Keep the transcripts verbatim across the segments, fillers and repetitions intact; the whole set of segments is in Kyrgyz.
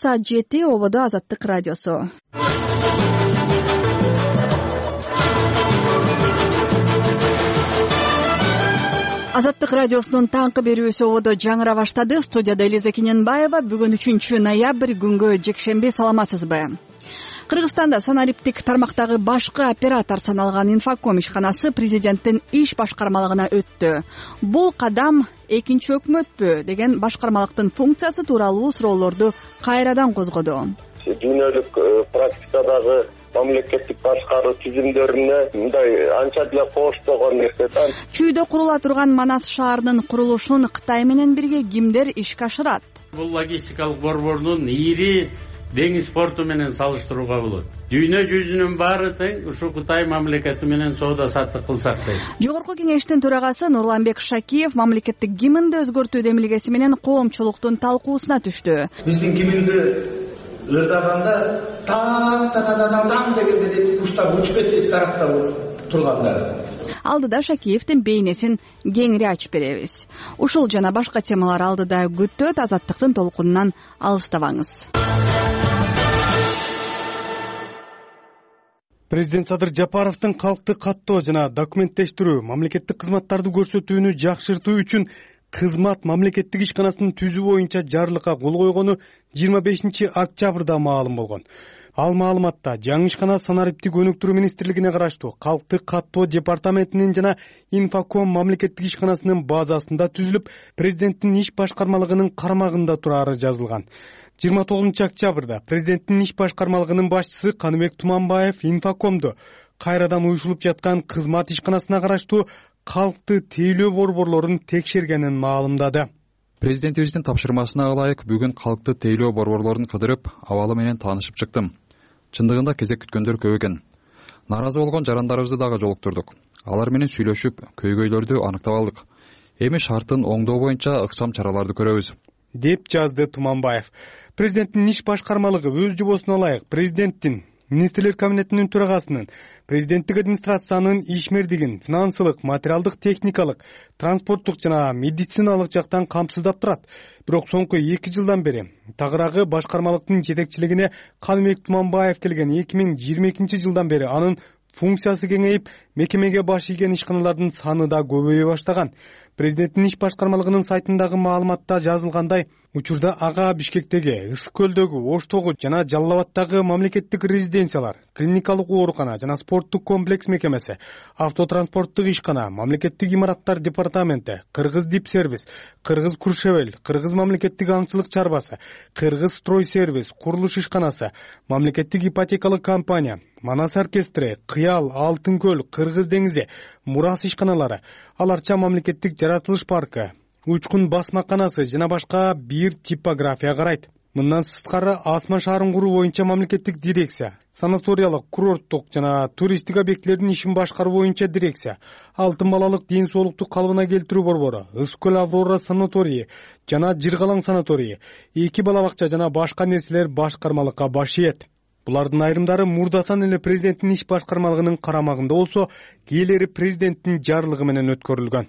Саат жети ободо Азаттык радиосу. Азаттык радиосунун таңкы берүүсү ободо жаңыра баштады. Студияда Элиза Кененбаева. Бүгүн үчүнчү ноябрь күнгө жекшемби. Саламатсызбы? Кыргызстанда санариптик тармактагы башкы оператор саналган Инфоком ишканасы президенттин иш башкармалыгына өттү. Бул кадам экинчи өкмөтпү деген башкармалыктын функциясы тууралуу суроолорду кайрадан козгоду. Дүйнөлүк практикадагы мамлекеттик башкаруу түзүмдөрүнө мындай анча деле коштогон нерсе да. Чүйдө курула турган Манас шаарынын курулушун Кытай менен бирге кимдер ишке ашырат? Бул логистикалык борбордун ири деңиз порту менен салыштырууга болот. Дүйнө жүзүнүн баары тең ушу Кытай мамлекети менен соода саттык кылсак дейт. Жогорку кеңештин төрагасы Нурланбек Шакиев мамлекеттик гимнди өзгөртүү демилгеси менен коомчулуктун талкуусуна түштү. Биздин гимнди ырдаганда таң та та та таң дегенде куштар учуп кетти тарапта тургандар. Алдыда Шакиевдин бейнесин кеңири ачып беребиз. Ушул жана башка темалар алдыда күттөт. Азаттыктын толкунунан алыстабаңыз. Президент Садыр Жапаровдун калкты каттоо жана документтештирүү, мамлекеттик кызматтарды көрсөтүүнү жакшыртуу үчүн кызмат мамлекеттик ишканасынын түзүү боюнча жарлыкка кол койгону жыйырма бешинчи октябрда маалым болгон. Ал маалыматта жаңы ишкана санариптик өнүктүрүү министрлигине караштуу калкты каттоо департаментинин жана Инфоком мамлекеттик ишканасынын базасында түзүлүп, президенттин иш башкармалыгынын карамагында турары жазылган. жыйырма тогузунчу октябрда президенттин иш башкармалыгынын башчысы Каныбек Туманбаев Инфокомду кайрадан уюшулуп жаткан кызмат ишканасына караштуу калкты тейлөө борборлорун текшергенин маалымдады. Президентибиздин тапшырмасына ылайык бүгүн калкты тейлөө борборлорун кыдырып, абалы менен таанышып чыктым. Чындыгында кезек күткөндөр көп экен. Наразы болгон жарандарыбызды дагы жолуктурдук. Алар менен сүйлөшүп, көйгөйлөрдү аныктап алдык. Эми шарттын оңдоо боюнча ыкчам чараларды көрөбүз, деп жазды Туманбаев. Президенттин иш башкармалыгы өз жобосуна ылайык президенттин, министрлер кабинетинин төрагасынын, президенттик администрациянын ишмердигин финансылык, материалдык, техникалык, транспорттук жана медициналык жактан камсыздап турат. Бирок соңку эки жылдан бери тагыраагы башкармалыктын жетекчилигине Каныбек Туманбаев келген эки миң жыйырма экинчи жылдан бери анын функциясы кеңейип, мекемеге баш ийген ишканалардын саны да көбөйө баштаган. Президенттин иш башкармалыгынын сайтындагы маалыматта жазылгандай, учурда ага Бишкектеги, Ысык көлдөгү, Оштогу жана Жалал Абадтагы мамлекеттик резиденциялар, клиникалык оорукана жана спорттук комплекс мекемеси, автотранспорттук ишкана, мамлекеттик имараттар департаменти, Кыргыз Дипсервис, Кыргыз Куршевел, Кыргыз мамлекеттик аңчылык чарбасы, Кыргыз Стройсервис, курулуш ишканасы, мамлекеттик ипотекалык компания, Манас оркестри, Кыял, Алтын көл, Кыргыз деңизи, Мурас ишканалары, аларча мамлекеттик жаратылыш паркы, Учкун басмаканасы жана башка бир типография карайт. Мындан сырткары Асма шаарын куруу боюнча мамлекеттик дирекция, санаториялык, курорттук жана туристтик объектилердин ишин башкаруу боюнча дирекция, Алтын балалык ден соолукту калыбына келтирүү борбору, Ысык көл Аврора санаторийи жана Жыргалаң санаторийи, эки бала бакча жана башка нерселер башкармалыкка баш ийет. Булардын айрымдары мурдатан эле президенттин иш башкармалыгынын карамагында болсо, кээрлери президенттин жарлыгы менен өткөрүлгөн.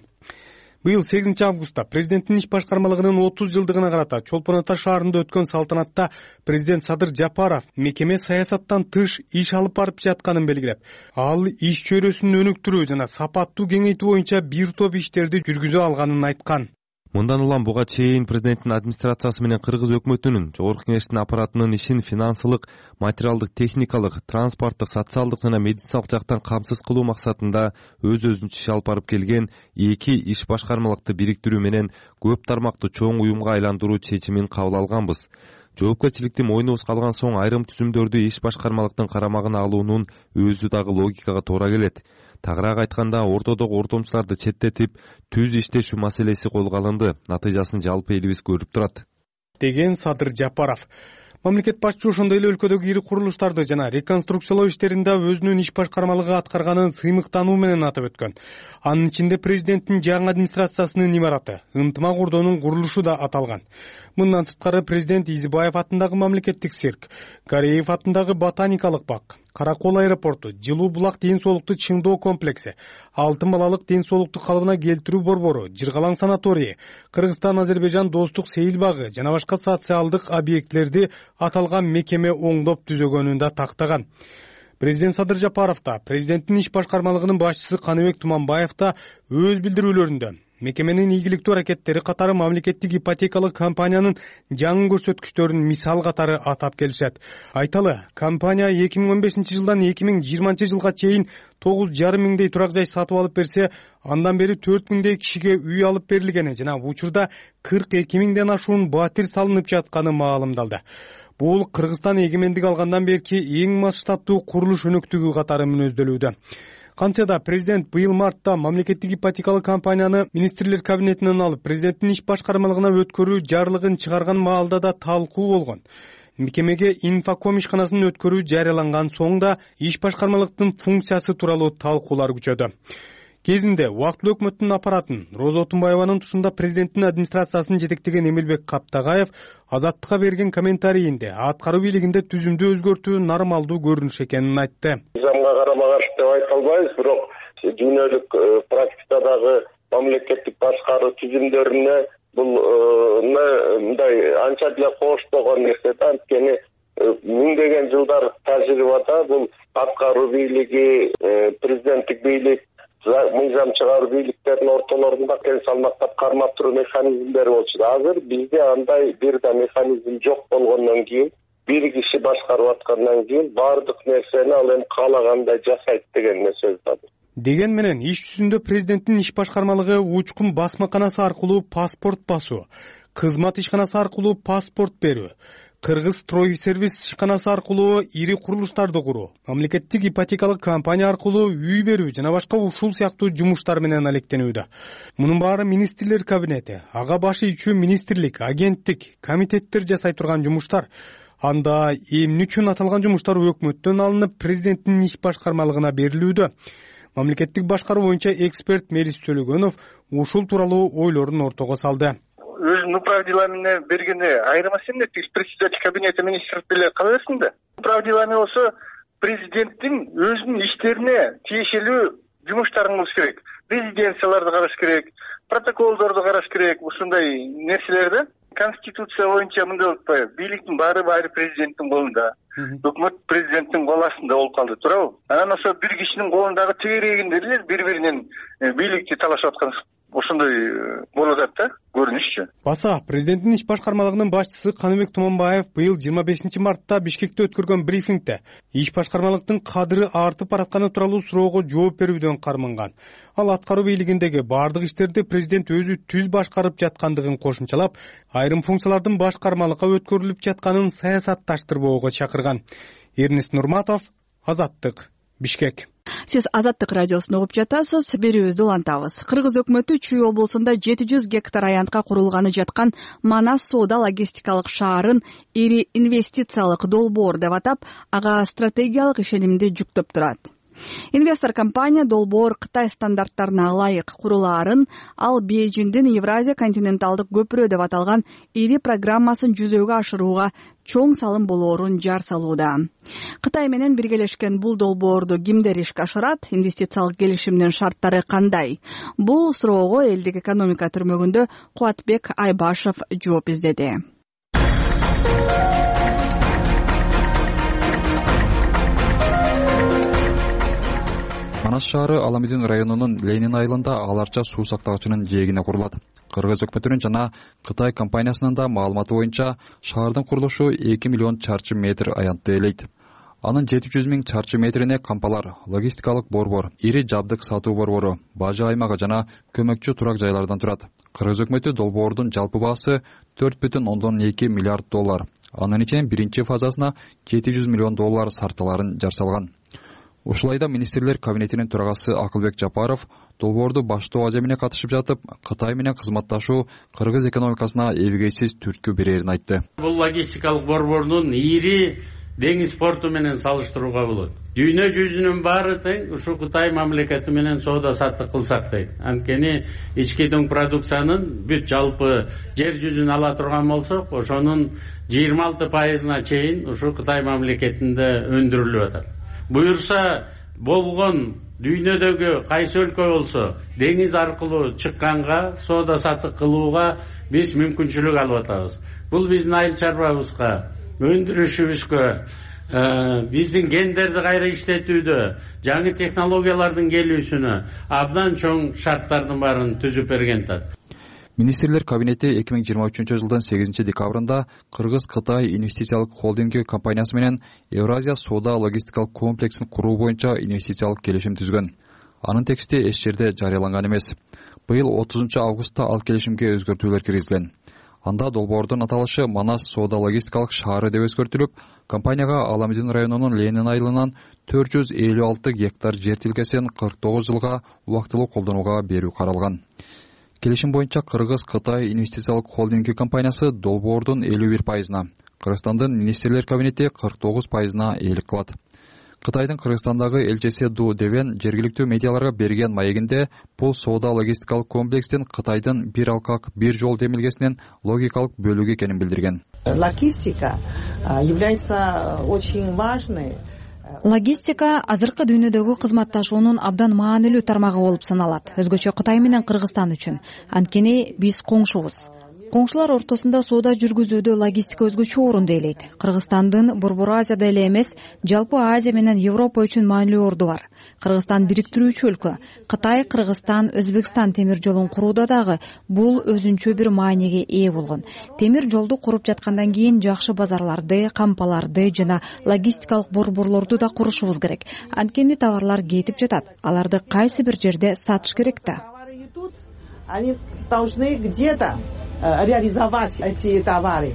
Быйыл сегизинчи августта президенттин иш башкармалыгынын отуз жылдыгына карата Чолпон Ата шаарында өткөн салтанатта президент Садыр Жапаров мекеме саясаттан тыш иш алып барып жатканын белгилеп, ал иш чөйрөсүн өнүктүрүү жана сапаттуу кеңейтүү боюнча бир топ иштерди жүргүзө алганын айткан. Мындан улам буга чейин президенттин администрациясы менен Кыргыз өкмөтүнүн, жогорку кеңештин аппаратынын ишин финансылык, материалдык, техникалык, транспорттук, социалдык жана медициналык жактан камсыз кылуу максатында өз-өзүнчө иш алып барып келген эки иш башкармалыкты бириктирүү менен көп тармактуу чоң уюмга айландыруу чечимин кабыл алганбыз. Жоопкерчиликти мойнубузга алган соң айрым түзүмдөрдү иш башкармалыктын карамагына алуунун өзү дагы логикага туура келет. Тагыраак айтканда, ортодогу ортомчуларды четтетип, түз иштешүү маселеси колго алынды. Натыйжасын жалпы элибиз көрүп турат, деген Садыр Жапаров. Мамлекет башчысы ошондой эле өлкөдөгү ири курулуштарды жана реконструкциялоо иштеринде өзүнүн иш башкармалыгы аткарганын сыймыктануу менен атап өткөн. Анын ичинде президенттин жаңы администрациясынын имараты, ынтымак ордонун курулушу да аталган. Мындан сырткары президент Изибаев атындагы мамлекеттик цирк, Кореев атындагы ботаникалык бак, Кара Кол аэропорту, Жылуу булак ден соолукту чыңдоо комплекси, Алтын балалык ден соолукту калыбына келтирүү борбору, Жыргалаң санаторийи, Кыргызстан-Азербайжан достук сейил багы жана башка социалдык объектилерди аталган мекеме оңдоп түзөгөнүн да тактаган. Президент Садыр Жапаров да, президенттин иш башкармалыгынын башчысы Каныбек Туманбаев да өз билдирүүлөрүндө мекеменин ийгиликтүү аракеттери катары мамлекеттик ипотекалык компаниянын жаңы көрсөткүчтөрүн мисал катары атап келишет. Айталы, компания эки миң он бешинчи жылдан эки миң жыйырманчы жылга чейин тогуз жарым миңдей турак жай сатып алып берсе, андан бери төрт миңдей кишиге үй алып берилгени жана учурда кырк эки миңден ашуун батир салынып жатканы маалымдалды. Бул Кыргызстан эгемендик алгандан берки эң масштабдуу курулуш өнөктүгү катары мүнөздөлүүдө. Кантсе да президент быйыл мартта мамлекеттик ипотекалык компанияны министрлер кабинетинен алып, президенттин иш башкармалыгына өткөрүү жарлыгын чыгарган маалда да талкуу болгон. Мекемеге инфоком ишканасын өткөрүү жарыяланган соң да иш башкармалыктын функциясы тууралуу талкуулар күчөдү. Кезинде убактылуу өкмөттүн аппаратын Роза Отунбаеванын тушунда президенттин администрациясын жетектеген Эмилбек Каптагаев Азаттыкка берген комментарийинде аткаруу бийлигинде түзүмдү өзгөртүү нормалдуу көрүнүш экенин айтты. Мыйзамга карама каршы деп айта албайбыз, бирок дүйнөлүк практикадагы мамлекеттик башкаруу түзүмдөрүнө бул мындай анча деле коштогон нерсе да. Анткени миңдеген жылдар тажрыйбада бул аткаруу бийлиги, президенттик бийлик, мыйзам чыгаруу бийликтердин ортолорунда тең салмактап кармап туруу механизмдери болчу. Азыр бизде андай бир да механизм жок болгондон кийин, бир киши башкарып аткандан кийин баардык нерсени ал эми каалагандай жасайт деген сөз бар. Деген менен иш жүзүндө президенттин иш башкармалыгы учкун басмаканасы аркылуу паспорт басуу, кызмат ишканасы аркылуу паспорт берүү, Кыргыз строй сервис ишканасы аркылуу ири курулуштарды куруу, мамлекеттик ипотекалык компания аркылуу үй берүү жана башка ушул сыяктуу жумуштар менен алектенүүдө. Мунун баары министрлер кабинети, ага башы ичүү министрлик, агенттик, комитеттер жасай турган жумуштар. Анда эмне үчүн аталган жумуштар өкмөттөн алынып президенттин иш башкармалыгына берилүүдө? Мамлекеттик башкаруу боюнча эксперт Мерис Төлөгөнов ушул тууралуу ойлорун ортого салды. Өзүнүн управдилами бергенде айырмасы эмне? Председатель кабинета министров деле кала берсин да. Управдилами болсо президенттин өзүнүн иштерине тиешелүү жумуштарын кылыш керек. Резиденцияларды караш керек, протоколдорду караш керек, ушундай нерселерди. Конституция боюнча мындай болуп атпайбы? Бийликтин баары баары президенттин колунда. Өкмөт президенттин кол астында болуп калды, туурабы? Анан ошо бир кишинин колундагы тегерегинде эле бири-биринен бийликти талашып аткан ошондой болуп атат да, көрүнүшчү. Баса президенттин иш башкармалыгынын башчысы Каныбек Туманбаев быйыл жыйырма бешинчи мартта Бишкекте өткөргөн брифингде иш башкармалыктын кадыры артып баратканы тууралуу суроого жооп берүүдөн карманган. Ал аткаруу бийлигиндеги баардык иштерди президент өзү түз башкарып жаткандыгын кошумчалап, айрым функциялардын башкармалыкка өткөрүлүп жатканын саясатташтырбоого чакырган. Эрнест Нурматов, Азаттык, Бишкек. Сиз Азаттык радиосун угуп жатасыз. Берүүбүздү улантабыз. Кыргыз өкмөтү Чүй облусунда жети жүз гектар аянтка курулганы жаткан Манас соода логистикалык шаарын ири инвестициялык долбоор деп атап, ага стратегиялык ишенимди жүктөп турат. Инвестор компания долбоор Кытай стандарттарына ылайык курулаарын, ал Бейжиңдин Евразия континенталдык көпүрө деп аталган ири программасын жүзөгө ашырууга чоң салым болоорун жар салууда. Кытай менен биргелешкен бул долбоорду кимдер ишке ашырат? Инвестициялык келишимдин шарттары кандай? Бул суроого элдик экономика түрмөгүндө Кубатбек Айбашев жооп издеди. Манас шаары Аламедин районунун Ленин айылында аларча суу сактагычынын жээгине курулат. Кыргыз өкмөтүнүн жана Кытай компаниясынын да маалыматы боюнча шаардын курулушу эки миллион чарчы метр аянтты ээлейт. Анын жети жүз миң чарчы метрине кампалар, логистикалык борбор, ири жабдык сатуу борбору, бажы аймагы жана көмөкчү турак жайлардан турат. Кыргыз өкмөтү долбоордун жалпы баасы төрт бүтүн ондон эки миллиард доллар. Анын ичинен биринчи фазасына жети жүз миллион доллар сарпталарын жар салган. Ушулайда министрлер кабинетинин төрагасы Акылбек Жапаров долбоорду баштоо аземине катышып жатып, Кытай менен кызматташуу кыргыз экономикасына эбегейсиз түрткү берерин айтты. Бул логистикалык борбордун ири деңиз порту менен салыштырууга болот. Дүйнө жүзүнүн баары тең ушу Кытай мамлекети менен соода саттык кылсак дейт. Анткени ички дөң продукциянын бүт жалпы жер жүзүн ала турган болсок, ошонун жыйырма алты пайызына чейин ушу Кытай мамлекетинде өндүрүлүп атат. Буюрса болгон дүйнөдөгү кайсы өлкө болсо деңиз аркылуу чыкканга соода саттык кылууга биз мүмкүнчүлүк алып атабыз. Бул биздин айыл чарбабызга, өндүрүшүбүзгө, биздин гендерди кайра иштетүүдө, жаңы технологиялардын келүүсүнө абдан чоң шарттардын баарын түзүп берген тат. Министрлер кабинети эки миң жыйырма үчүнчү жылдын сегизинчи декабрында Кыргыз-Кытай инвестициялык холдинги компаниясы менен Евразия соода логистикалык комплексин куруу боюнча инвестициялык келишим түзгөн. Анын тексти эч жерде жарыяланган эмес. Быйыл отузунчу августта ал келишимге өзгөртүүлөр киргизилген. Анда долбоордун аталышы Манас соода логистикалык шаары деп өзгөртүлүп, компанияга Аламедин районунун Ленин айылынан төрт жүз элүү алты гектар жер тилкесин кырк тогуз жылга убактылуу колдонууга берүү каралган. Келишим боюнча Кыргыз-Кытай инвестициялык холдинги компаниясы долбоордун элүү бир пайызына, Кыргызстандын министрлер кабинети кырк тогуз пайызына ээлик кылат. Кытайдын Кыргызстандагы элчиси Ду Девен жергиликтүү медиаларга берген маегинде бул соода логистикалык комплекстин Кытайдын бир алкак, бир жол демилгесинин логикалык бөлүгү экенин билдирген. Логистика является очень важной. Логистика азыркы дүйнөдөгү кызматташуунун абдан маанилүү тармагы болуп саналат. Өзгөчө Кытай менен Кыргызстан үчүн. Анткени биз коңшубуз. Коңшулар ортосунда соода жүргүзүүдө логистика өзгөчө орунду ээлейт. Кыргызстандын Борбор Азияда эле эмес, жалпы Азия менен Европа үчүн маанилүү орду бар. Кыргызстан бириктирүүчү өлкө. Кытай, Кыргызстан, Өзбекстан темир жолун курууда дагы бул өзүнчө бир мааниге ээ болгон. Темир жолду куруп жаткандан кийин жакшы базарларды, кампаларды жана логистикалык борборлорду да курушубуз керек. Анткени товарлар кетип жатат. Аларды кайсы бир жерде сатыш керек да. Они должны где-то реализовать эти товары.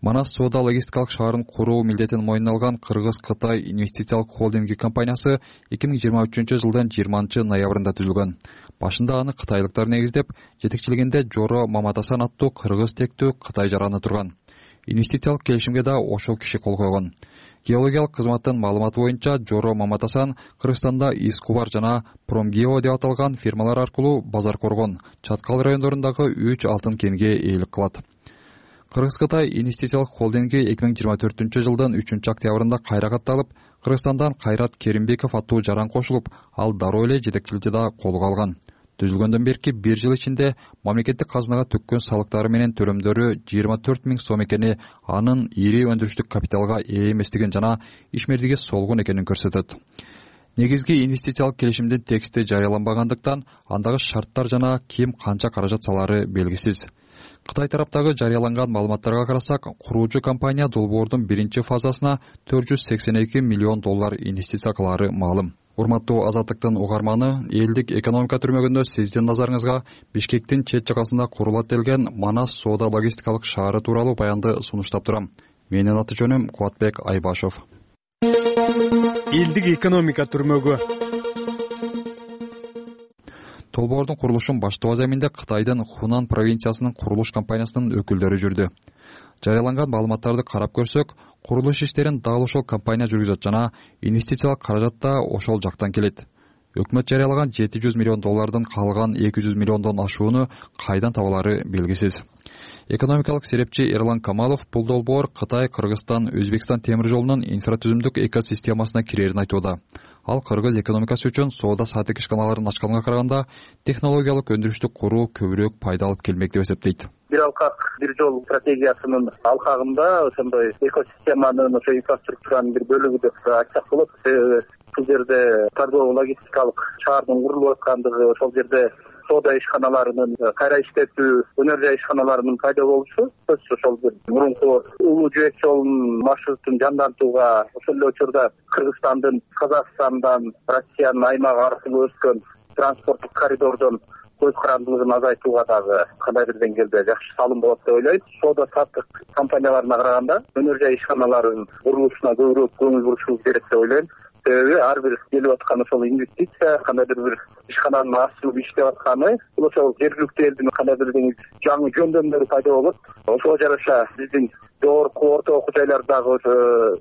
Манас соода логистикалык шаарын куруу милдетин мойнуна алган Кыргыз-Кытай инвестициялык холдинги компаниясы эки миң жыйырма үчүнчү жылдын жыйырманчы ноябрында түзүлгөн. Башында аны кытайлыктар негиздеп, жетекчилигинде Жоро Маматасан аттуу кыргыз тектүү Кытай жараны турган. Инвестициялык келишимге да ошол киши кол койгон. Геологиялык кызматтын маалыматы боюнча Жоро Маматасан Кыргызстанда Искубар жана Промгео деп аталган фирмалар аркылуу Базар Коргон, Чаткал райондорундагы үч алтын кенге ээлик кылат. Кыргыз-Кытай инвестициялык холдинги эки миң жыйырма төртүнчү жылдын үчүнчү октябрында кайра катталып, Кыргызстандан Кайрат Керимбеков аттуу жаран кошулуп, ал дароо эле жетекчиликти да колго алган. Түзүлгөндөн берки бир жыл ичинде мамлекеттик казынага төккөн салыктары менен төлөмдөрү жыйырма төрт миң сом экени анын ири өндүрүштүк капиталга ээ эместигин жана ишмердиги солгун экенин көрсөтөт. Негизги инвестициялык келишимдин тексти жарыяланбагандыктан андагы шарттар жана ким канча каражат салары белгисиз. Кытай тараптагы жарыяланган маалыматтарга карасак, куруучу компания долбоордун биринчи фазасына төрт жүз сексен эки миллион доллар инвестиция кылары маалым. Урматтуу Азаттыктын угарманы, элдик экономика түрмөгүндө сиздин назарыңызга Бишкектин чет жагасында курулат делген Манас соода логистикалык шаары тууралуу баянды сунуштап турам. Менин аты жөнүм Кубатбек Айбашов. Элдик экономика түрмөгү. Долбоордун курулушун баштоо аземинде Кытайдын Хунан провинциясынын курулуш компаниясынын өкүлдөрү жүрдү. Жарыяланган маалыматтарды карап көрсөк, курулуш иштерин дал ошол компания жүргүзөт жана инвестициялык каражат да ошол жактан келет. Өкмөт жарыялаган жети жүз миллион доллардын калган эки жүз миллиондон ашууну кайдан табалары белгисиз. Экономикалык серепчи Эрлан Камалов бул долбоор Кытай, Кыргызстан, Өзбекстан темир жолунун инфратүзүмдүк экосистемасына кирерин айтууда. Ал кыргыз экономикасы үчүн соода саттык ишканаларын ачканга караганда технологиялык өндүрүштү куруу көбүрөөк пайда алып келмек деп эсептейт. Бир алкак, бир жол стратегиясынын алкагында ошондой экосистеманын, ошо инфраструктуранын бир бөлүгү деп айтсак болот. Бул жерде торгово логистикалык шаардын курулуп аткандыгы, ошол жерде соода ишканаларынын кайра иштетүү, өнөр жай ишканаларынын пайда болушу, ошол бир мурунку улуу жөөк жолунун маршрутун жандантууга, ошол эле учурда Кыргызстандын, Казакстандан, Россиянын аймагы аркылуу өткөн транспорттук коридордон көз карандылыгын азайтууга дагы кандай бир деңгээлде жакшы салым болот деп ойлойт. Соода саттык компанияларына караганда өнөр жай ишканаларынын курулушуна көбүрөөк көңүл бурушубуз керек деп ойлойм. Себеби ар бир келип аткан ошол инвестиция, кандайдыр бир ишкананын ачылып иштеп атканы, бул ошол жергиликтүү элдин кандайдыр жаңы жөндөмдөрү пайда болот. Ошого жараша биздин жогорку орто окуу жайлардагы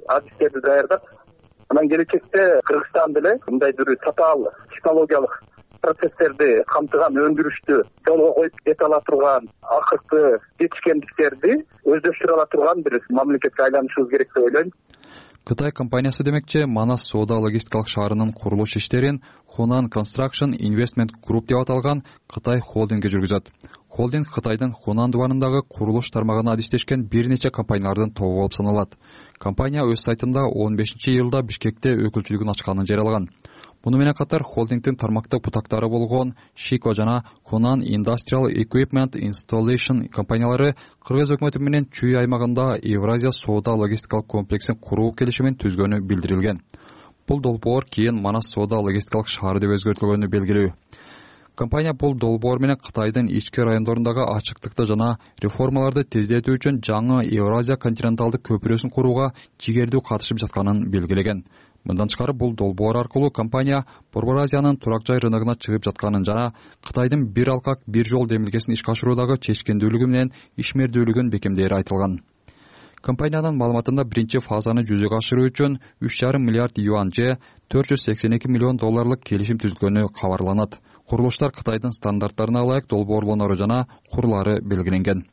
адистерди даярдап, анан келечекте Кыргызстан деле мындай бир татаал технологиялык процесстерди камтыган өндүрүштү жолго коюп кете ала турган, акыркы жетишкендиктерди өздөштүрө ала турган бир мамлекетке айланышыбыз керек деп ойлойм. Кытай компаниясы демекчи, Манас соода логистикалык шаарынын курулуш иштерин Hunan Construction Investment Group деп аталган Кытай холдинги жүргүзөт. Холдинг Кытайдын Хунан дубарындагы курулуш тармагына адистешкен бир нече компаниялардын тобу болуп саналат. Компания өз сайтында он бешинчи июлда Бишкекте өкүлчүлүгүн ачканын жарыялаган. Муну менен катар холдингдин тармактык бутактары болгон Shiko жана Hunan Industrial Equipment Installation компаниялары Кыргыз өкмөтү менен Чүй аймагында Евразия соода логистикалык комплексин куруу келишимин түзгөнү билдирилген. Бул долбоор кийин Манас соода логистикалык шаары деп өзгөртүлгөнү белгилүү. Компания бул долбоор менен Кытайдын ички райондорундагы ачыктыкты жана реформаларды тездетүү үчүн жаңы Евразия континенталдык көпүрөсүн курууга жигердүү катышып жатканын белгилеген. Мындан тышкары бул долбоор аркылуу компания Борбор Азиянын турак жай рыногуна чыгып жатканын жана Кытайдын бир алкак бир жол демилгесин ишке ашыруудагы чечкендүүлүгү менен ишмердүүлүгүн бекемдээри айтылган. Компаниянын маалыматында биринчи фазаны жүзөгө ашыруу үчүн үч жарым миллиард юань же төрт жүз сексен эки миллион долларлык келишим түзүлгөнү кабарланат. Курулуштар Кытайдын стандарттарына ылайык долбоорлонору жана курлары белгиленген.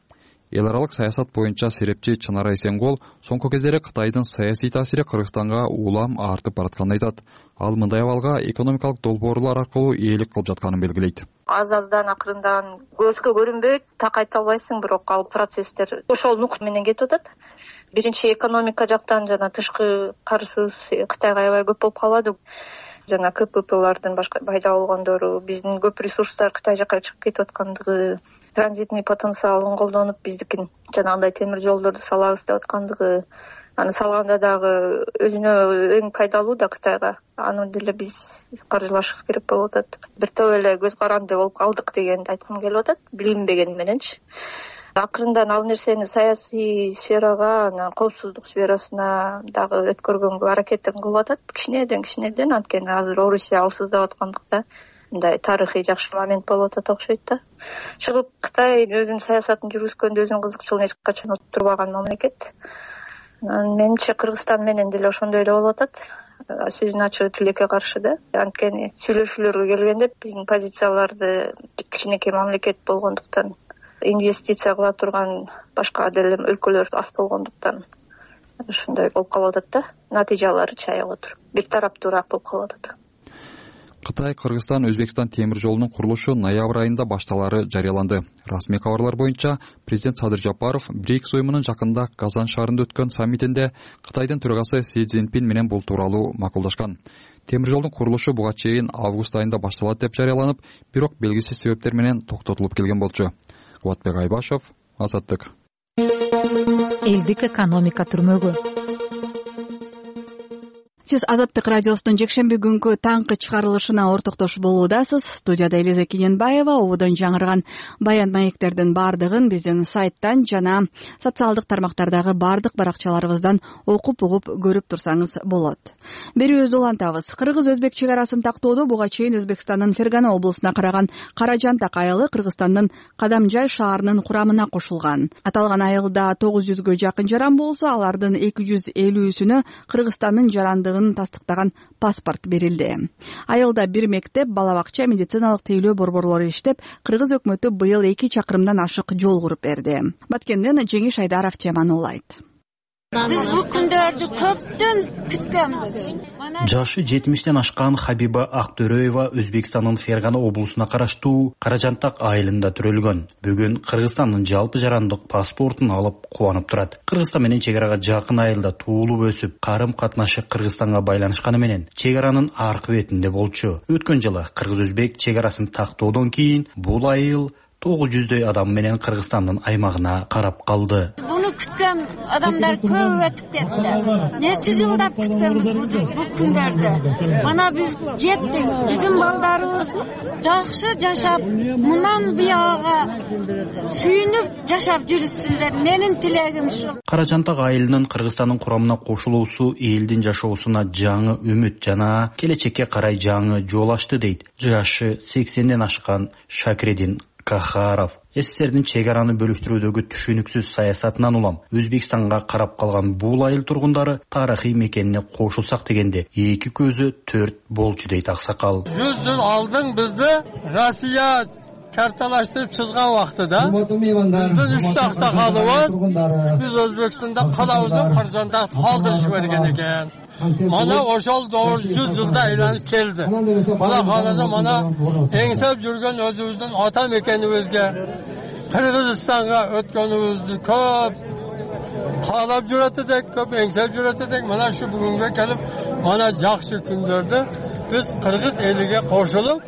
Эл аралык саясат боюнча серепчи Чынара Эсенгол соңку кездери Кытайдын саясий таасири Кыргызстанга улам артып баратканын айтат. Ал мындай абалга экономикалык долбоорлор аркылуу ээлик кылып жатканын белгилейт. Аз-аздан акырындан көзгө көрүнбөйт, так айта албайсың, бирок ал процесстер ошол нук менен кетип атат. Биринчи экономика жактан жана тышкы карызыбыз Кытайга аябай көп болуп калады. Жана КППлардын башка пайда болгондору, биздин көп ресурстар Кытай жака чыгып кетип аткандыгы, транзитный потенциалын колдонуп биздикин жанагындай темир жолдорду салабыз деп аткандыгы, аны салганда дагы өзүнө эң пайдалуу да Кытайга. Аны деле биз каржылашыбыз керек болуп атат. Бир топ эле көз каранды болуп калдык дегенди айткым келип атат, билинбеген мененчи. Акырындан ал нерсени саясий сферага, анан коопсуздук сферасына дагы өткөргөнгө аракетин кылып атат. Кичинеден кичинеден, анткени азыр Орусия алсыздап аткандыкта мындай тарыхый жакшы момент болуп атат окшойт да. Чыгып Кытай өзүнүн саясатын жүргүзгөндө өзүнүн кызыкчылыгын эч качан турбаган мамлекет. Менимче Кыргызстан менен деле ошондой эле болуп атат. Сөзүн ачыгы тилекке каршы да. Анткени сүйлөшүүлөргө келгенде биздин позицияларды кичинекей мамлекет болгондуктан, инвестиция кыла турган башка деле өлкөлөр аз болгондуктан ушундай болуп калып атат да. Натыйжалары чаяп отур. Бир тараптуураак болуп калып атат. Кытай, Кыргызстан, Өзбекстан темир жолунун курулушу ноябрь айында башталары жарыяланды. Расмий кабарлар боюнча президент Садыр Жапаров БРИКС уюмунун жакында Казан шаарында өткөн саммитинде Кытайдын төрагасы Си Цзиньпин менен бул тууралуу макулдашкан. Темир жолдун курулушу буга чейин август айында башталат деп жарыяланып, бирок белгисиз себептер менен токтотулуп келген болчу. Кубатбек Айбашев, Азаттык. Элдик экономика түрмөгү. Сиз Азаттык радиосунун жекшемби күнкү таңкы чыгарылышына ортоктош болуудасыз. Студияда Элиза Кененбаева. Ободон жаңырган баян маектердин бардыгын биздин сайттан жана социалдык тармактардагы бардык баракчаларыбыздан окуп угуп көрүп турсаңыз болот. Берүүбүздү улантабыз. Кыргыз-өзбек чек арасын тактоодо буга чейин Өзбекстандын Фергана облусуна караган Каражантак айылы Кыргызстандын Кадамжай шаарынын курамына кошулган. Аталган айылда тогуз жүзгө жакын жаран болсо, алардын эки жүз элүүсүнө Кыргызстандын жарандыгын тастыктаган паспорт берилди. Айылда бир мектеп, бала бакча, медициналык тейлөө борборлору иштеп, Кыргыз өкмөтү быйыл эки чакырымдан ашык жол куруп берди. Баткенден Жеңиш Айдаров теманы улайт. Биз бул күндөрдү көптөн күткөнбүз. Жашы жетимиштен ашкан Хабиба Актөрөева Өзбекстандын Фергана облусуна караштуу Каражантак айылында төрөлгөн. Бүгүн Кыргызстандын жалпы жарандык паспортун алып кубанып турат. Кыргызстан менен чек арага жакын айылда туулуп өсүп, карым катнашы Кыргызстанга байланышканы менен чек аранын аркы бетинде болчу. Өткөн жылы Кыргыз-Өзбек чек арасын тактоодон кийин бул айыл тогуз жүздөй адам менен Кыргызстандын аймагына карап калды. Буну күткөн адамдар көп өтүп кетти. Нече жылдап күткөнбүз бул күндөрдү. Мана биз жеттик. Биздин балдарыбыз жакшы жашап, мындан буяга сүйүнүп жашап жүрүшсүндөр. Менин тилегим ушу. Каражантак айылынын Кыргызстандын курамына кошулуусу элдин жашоосуна жаңы үмүт жана келечекке карай жаңы жол ачты дейт жашы сексенден ашкан Шакредин Кахаров. СССРдин чек араны бөлүштүрүүдөгү түшүнүксүз саясатынан улам Өзбекстанга карап калган бул айыл тургундары тарыхый мекенине кошулсак дегенде эки көзү төрт болчу дейт аксакал. жүз жыл алдың бизди Россия карталаштырып чызган убактыда биздин үч аксакалыбыз биз Өзбекстанда калабызды Каражанда калтырышып берген экен. Mana ошол doğru жүз жылда айланып келди. Мана караса мана эңсеп жүргөн өзүбүздүн ата мекенибизге Кыргызстанга өткөнүбүздү көп каалап жүрөт элек, көп эңсеп жүрөт элек. Мана şu бүгүнгө келип, мана жакшы күндөрдө биз кыргыз элиге кошулуп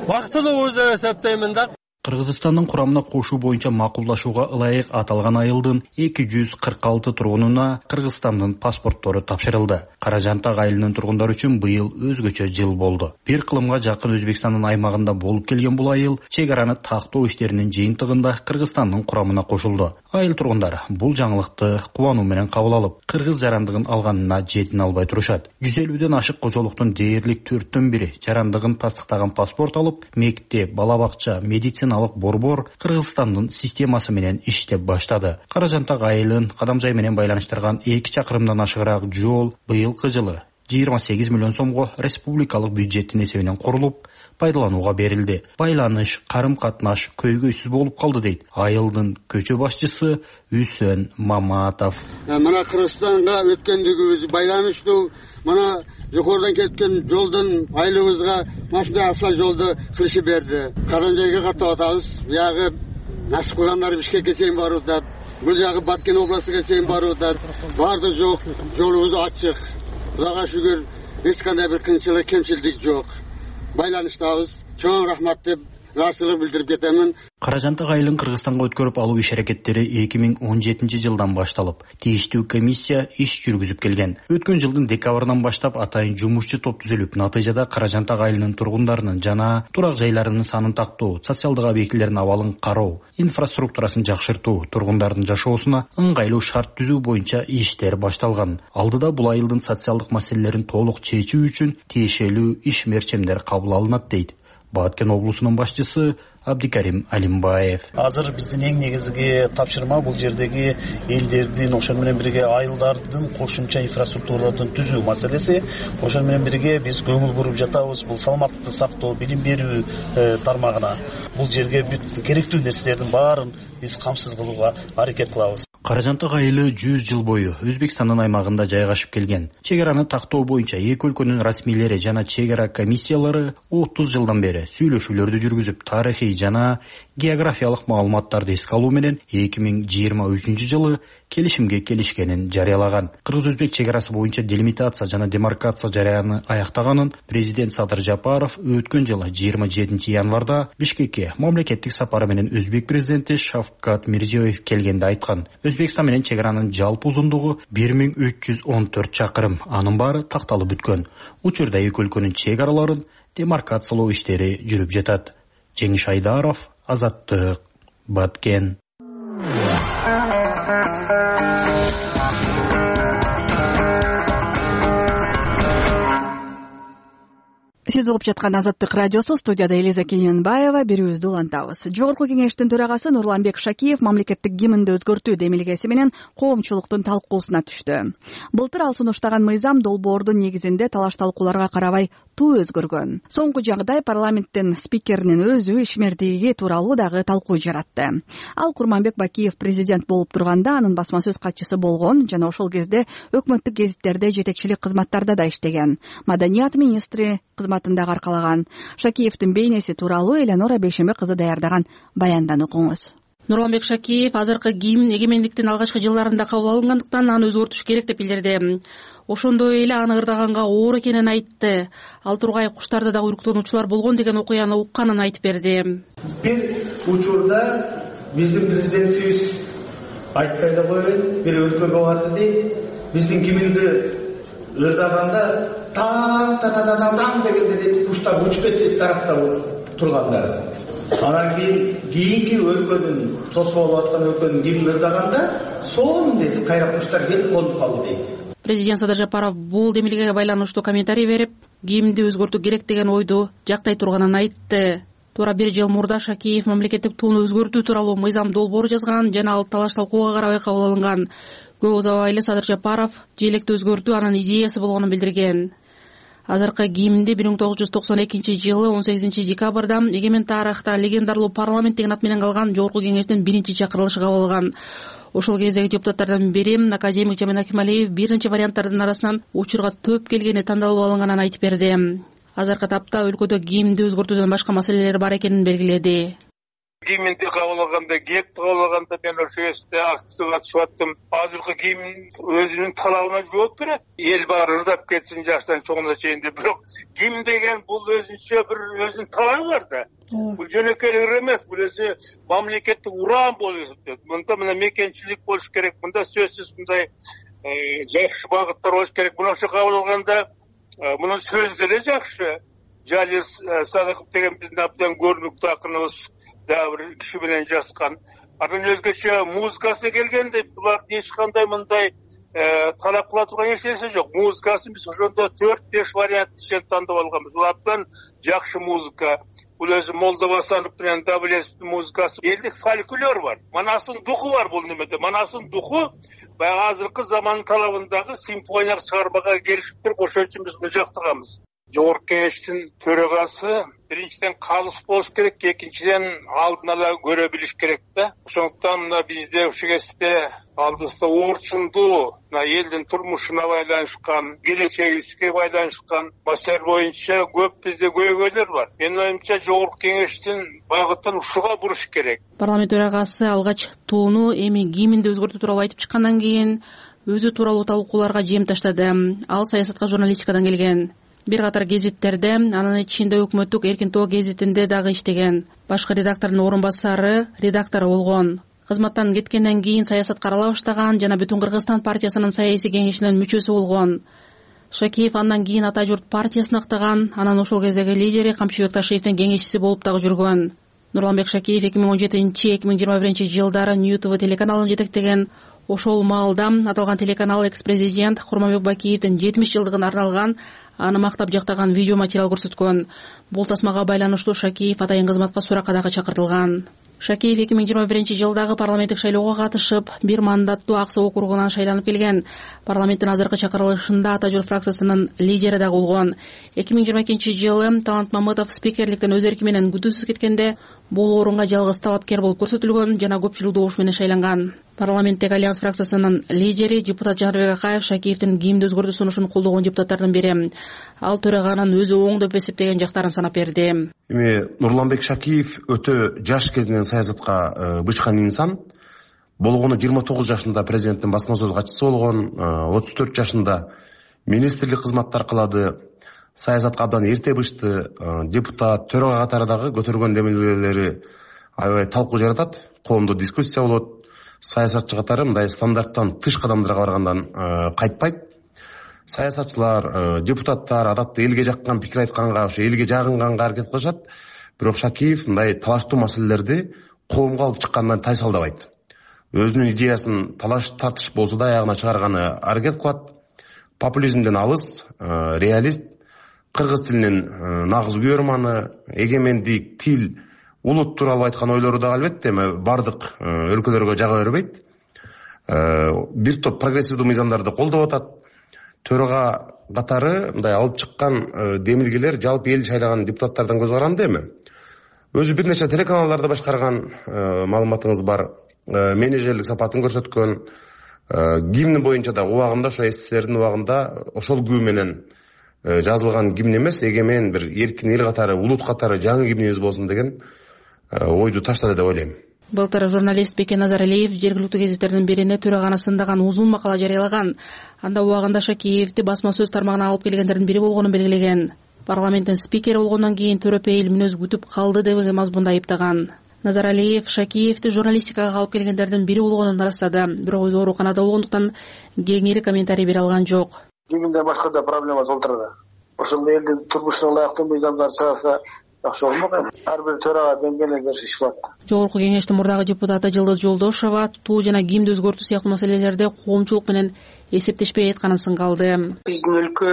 бактылуубуз деп эсептеймин да. Кыргызстандын курамына кошуу боюнча макулдашууга ылайык аталган айылдын эки жүз кырк алты тургунуна Кыргызстандын паспорттору тапшырылды. Каражантак айылынын тургундары үчүн быйыл өзгөчө жыл болду. Бир кылымга жакын Өзбекстандын аймагында болуп келген бул айыл чек араны тактоо иштеринин жыйынтыгында Кыргызстандын курамына кошулду. Айыл тургундары бул жаңылыкты кубануу менен кабыл алып, кыргыз жарандыгын алганына жетине албай турушат. жүз элүүдөн ашык кожолуктун дээрлик төрттөн бири жарандыгын тастыктаган паспорт алып, мектеп, бала бакча, медицина борбор Кыргызстандын системасы менен иштеп баштады. Каражантак айылын Кадамжай менен байланыштырган эки чакырымдан ашыгыраак жол быйылкы жылы жыйырма сегиз миллион сомго республикалык бюджеттин эсебинен курулуп, пайдаланууга берилди. Байланыш, карым-катнаш көйгөйсүз болуп калды дейт айылдын көчө башчысы Үсөн Маматов. Мына Кыргызстанга өткөндүгүбүз байланыштуу, мына жогорудан кеткен жолдон айылыбызга машина асфальт жолду кылышып берди. Каражайга каттап атабыз. Бuyagы насып кылгандар Бишкекке чейин барып атат. Бул жагы Баткен областыга чейин барып атат. Барды жок, жолубуз ачык. Кудайга шүгүр, эч кандай бир кыйынчылык, кемчилдик жок. Байланыштабыз. Чоң рахмат деп ыраазычылык билдирип кетемин. Каражантак айылын Кыргызстанга өткөрүп алуу иш-аракеттери эки миң он жетинчи жылдан башталып, тийиштүү комиссия иш жүргүзүп келген. Өткөн жылдын декабрынан баштап атайын жумушчу топ түзүлүп, натыйжада Каражантак айылынын тургундарынын жана турак жайларынын санын тактоо, социалдык объектилердин абалын кароо, инфраструктурасын жакшыртуу, тургундардын жашоосуна ыңгайлуу шарт түзүү боюнча иштер башталган. Алдыда бул айылдын социалдык маселелерин толук чечүү үчүн тиешелүү иш мерчемдер кабыл алынат дейт Баткен облусунун башчысы Абдикарим Алимбаев. Азыр биздин эң негизги тапшырма бул жердеги элдердин, ошол менен бирге айылдардын кошумча инфраструктураларын түзүү маселеси. Ошол менен бирге биз көңүл буруп жатабыз бул саламаттыкты сактоо, билим берүү тармагына. Бул жерге бүт керектүү нерселердин баарын биз камсыз кылууга аракет кылабыз. Каражантак айылы жүз жыл бою Өзбекстандын аймагында жайгашып келген. Чек араны тактоо боюнча эки өлкөнүн расмийлери жана чек ара комиссиялары отуз жылдан бери сүйлөшүүлөрдү жүргүзүп, тарыхый жана географиялык маалыматтарды эске алуу менен эки миң жыйырма үчүнчү жылы келишимге келишкенин жарыялаган. Кыргыз-өзбек чек арасы боюнча делимитация жана демаркация жараяны аяктаганын президент Садыр Жапаров өткөн жылы жыйырма жетинчи январда Бишкекке мамлекеттик сапары менен Өзбек президенти Шавкат Мирзиёев келгенде айткан. Өзбекстан менен чек аранын жалпы узундугу бир миң үч жүз он төрт чакырым. Анын баары такталып бүткөн. Учурда эки өлкөнүн чек араларын демаркациялоо иштери жүрүп жатат. Жеңиш Айдаров, Азаттык, Баткен. Сиз угуп жаткан Азаттык радиосу, студияда Элиза Кененбаева, берүүбүздү улантабыз. Жогорку кеңештин төрагасы Нурланбек Шакиев мамлекеттик гимнди өзгөртүү демилгеси менен коомчулуктун талкуусуна түштү. Былтыр ал сунуштаган мыйзам долбоордун негизинде талаш-талкууларга карабай туу өзгөргөн. Соңку жагдай парламенттин спикеринин өзү ишмердиги тууралуу дагы талкуу жаратты. Ал Курманбек Бакиев президент болуп турганда анын басма сөз катчысы болгон жана ошол кезде өкмөттүк гезиттерде жетекчилик кызматтарда да иштеген. Маданият министри кызматында аркалаган. Шакиевдин бейнеси тууралуу Эленора Бейшембек кызы даярдаган баянданы окуңуз. Нурланбек Шакиев азыркы гимн эгемендиктин алгачкы жылдарында кабыл алынгандыктан аны өзгөртүш керек деп билдирди. Ошондой эле аны ырдаганга оор экенин айтты. Ал тургай куштарда да уйруктонуучулар болгон деген окуяны укканын айтып берди. Бир учурда биздин президентибиз айтпай да койбойт, бир өлкөгө барды дейт. Биздин гимнди ырдаганда таң та та та таң дегенде дейт, куштар учуп кетти тараптап тургандар. Анан кийин кийинки өлкөнүн тосуп алып аткан өлкөнүн гимнин ырдаганда сонун дейт, кайра куштар келип конуп калды дейт. Президент Садыр Жапаров бул демилгеге байланыштуу комментарий берип, гимнди өзгөртүү керек деген ойду жактай турганын айтты. туура бир жыл мурда Шакиев мамлекеттик тууну өзгөртүү тууралуу мыйзам долбоор жазган жана ал талаш талкууга карабай кабыл алынган. Көп узабай эле Садыр Жапаров желекти өзгөртүү анын идеясы болгонун билдирген. Азыркы гимнди бир миң тогуз жүз токсон экинчи жылы он сегизинчи декабрда эгемен тарыхта легендарлуу парламент деген ат менен калган Жогорку кеңештин биринчи чакырылышы кабыл алган. Ошол кездеги депутаттардан бири академик Жамин Акималиев биринчи варианттардын арасынан учурга төп келгени тандалып алынганын айтып берди. Азыркы тапта өлкөдө гимнди өзгөртүүдөн башка маселелер бар экенин белгиледи. Гимнди кабыл алганда, гепти кабыл алганда мен ошол жерде активдүү катышып аттым. Азыркы гимн өзүнүн талабына жооп берет. Эл баары ырдап кетсин жаштан чоңуна чейин деп. Бирок гимн деген бул өзүнчө бир өзүнүн талабы бар да. Бул жөнөкөй ыр эмес, бул өзү мамлекеттик уран болуп эсептелет. Мында мына мекенчилик болуш керек, мында сөзсүз мындай жакшы багыттар болуш керек. Мына ошо кабыл алганда мунун сөзү деле жакшы. Жалил Садыков деген биздин абдан көрүнүктүү акыныбыз дагы бир киши менен жазган. Анын өзгөчө музыкасы келгенде булардын эч кандай мындай талап кыла турган эч нерсе жок. Музыкасын биз ошондо төрт беш вариант ишен тандап алганбыз. Бул абдан жакшы музыка. Бул өзү Молдовасанов менен Давлетовдун музыкасы. Элдик фольклор бар. Манасынын духу бар бул немеде. Манасынын духу баягы азыркы замандын талабындагы симфониялык чыгармага келишип туруп ошон үчүн биз муну жактырганбыз. Жогорку кеңештин төрагасы биринчиден калыс болуш керек, экинчиден алдын ала көрө билиш керек да. Ошондуктан мына бизде ушул кезде алдыбызда орчундуу мына элдин турмушуна байланышкан, келечегибизге байланышкан маселе боюнча көп бизде көйгөйлөр бар. Менин оюмча жогорку кеңештин багытын ушуга буруш керек. Парламент төрагасы алгач тууну эми гимнди өзгөртүү тууралуу айтып чыккандан кийин өзү тууралуу талкууларга жем таштады. Ал саясатка журналистикадан келген. Бир катар гезиттерде, анын ичинде өкмөттүк Эркин Тоо гезитинде дагы иштеген. Башкы редактордун орун басары, редактору болгон. Кызматтан кеткенден кийин саясатка арала баштаган жана Бүтүн Кыргызстан партиясынын саясий кеңешинин мүчөсү болгон. Шакиев андан кийин Ата журт партиясын актаган, анан ошол кездеги лидери Камчыбек Ташиевдин кеңешчиси болуп дагы жүргөн. Нурланбек Шакиев эки миң он жетинчи эки миң жыйырма биринчи жылдары Нью ТВ телеканалын жетектеген. Ошол маалда аталган телеканал экс-президент Курманбек Бакиевдин жетимиш жылдыгына арналган аны мактап жактаган видео материал көрсөткөн. Бул тасмага байланыштуу Шакиев атайын кызматка суракка дагы чакыртылган. Шакиев эки миң жыйырма биринчи жылдагы парламенттик шайлоого катышып, бир мандаттуу Ак Суу округунан шайланып келген. Парламенттин азыркы чакырылышында Ата журт фракциясынын лидери дагы болгон. эки миң жыйырма экинчи жылы Талант Мамытов спикерликтен өз эрки менен күтүүсүз кеткенде бул орунга жалгыз талапкер болуп көрсөтүлгөн жана көпчүлүк добуш менен шайланган. Парламенттеги Альянс фракциясынын лидери депутат Жанарбек Акаев Шакиевдин гимнди өзгөртүү сунушун колдогон депутаттардын бири. Ал төраганын өзү оң деп эсептеген жактарын санап берди. Эми Нурланбек Шакиев өтө жаш кезинен саясатка бычкан инсан. Болгону жыйырма тогуз жашында президенттин басма сөз катчысы болгон, отуз төрт жашында министрлик кызматтар кылады. Саясатка абдан эрте бышты, депутат, төрага катары дагы көтөргөн демилгелери аябай талкуу жаратат, коомдо дискуссия болот. Саясатчы катары мындай стандарттан тыш кадамдарга баргандан кайтпайт. Саясатчылар, депутаттар адатта элге жаккан пикир айтканга, ошо элге жагынганга аракет кылышат. Бирок Шакиев мындай талаштуу маселелерди коомго алып чыккандан тайсалдабайт. Өзүнүн идеясын талаш тартыш болсо да аягына чыгарганы аракет кылат. Популизмден алыс, реалист, кыргыз тилинин нагыз күйөрманы, эгемендик, тил, улут тууралуу айткан ойлору да албетте эми бардык өлкөлөргө жага бербейт. Бир топ прогрессивдүү мыйзамдарды колдоп атат. Төрага катары мындай алып чыккан демилгелер жалпы эл шайлаган депутаттардан көз каранды эми. Өзү бир нече телеканалдарды башкарган, маалыматыңыз бар. Менеджерлик сапатын көрсөткөн. Гимн боюнча да убагында ошо СССРдин убагында ошол күбө менен жазылган гимн эмес, эгемен бир эркин эл катары, улут катары жаңы гимнибиз болсун деген ойду таштады деп ойлойм. Былтыр журналист Бекен Назаралиев жергиликтүү гезиттердин бирине төраганы сындаган узун макала жарыялаган. Анда убагында Шакиевди басма сөз тармагына алып келгендердин бири болгонун белгилеген. Парламенттин спикери болгондон кийин төрөпейил мүнөз күтүп калды деген мазмунда айыптаган. Назаралиев Шакиевди журналистикага алып келгендердин бири болгонун ырастады. Бирок өзү ооруканада болгондуктан кеңири комментарий бере алган жок. Гимнде башка да проблема толтурду. Ошондой элдин турмушуна ылайыктуу мыйзамдар чыгарса жакшы болмок. Ар бир төрага деңгээлде ишилет. Жогорку кеңештин мурдагы депутаты Жылдыз Жолдошова туу жана гимнди өзгөртүү сыяктуу маселелерде коомчулук менен эсептешпей айтканын сынга алды. Биздин өлкө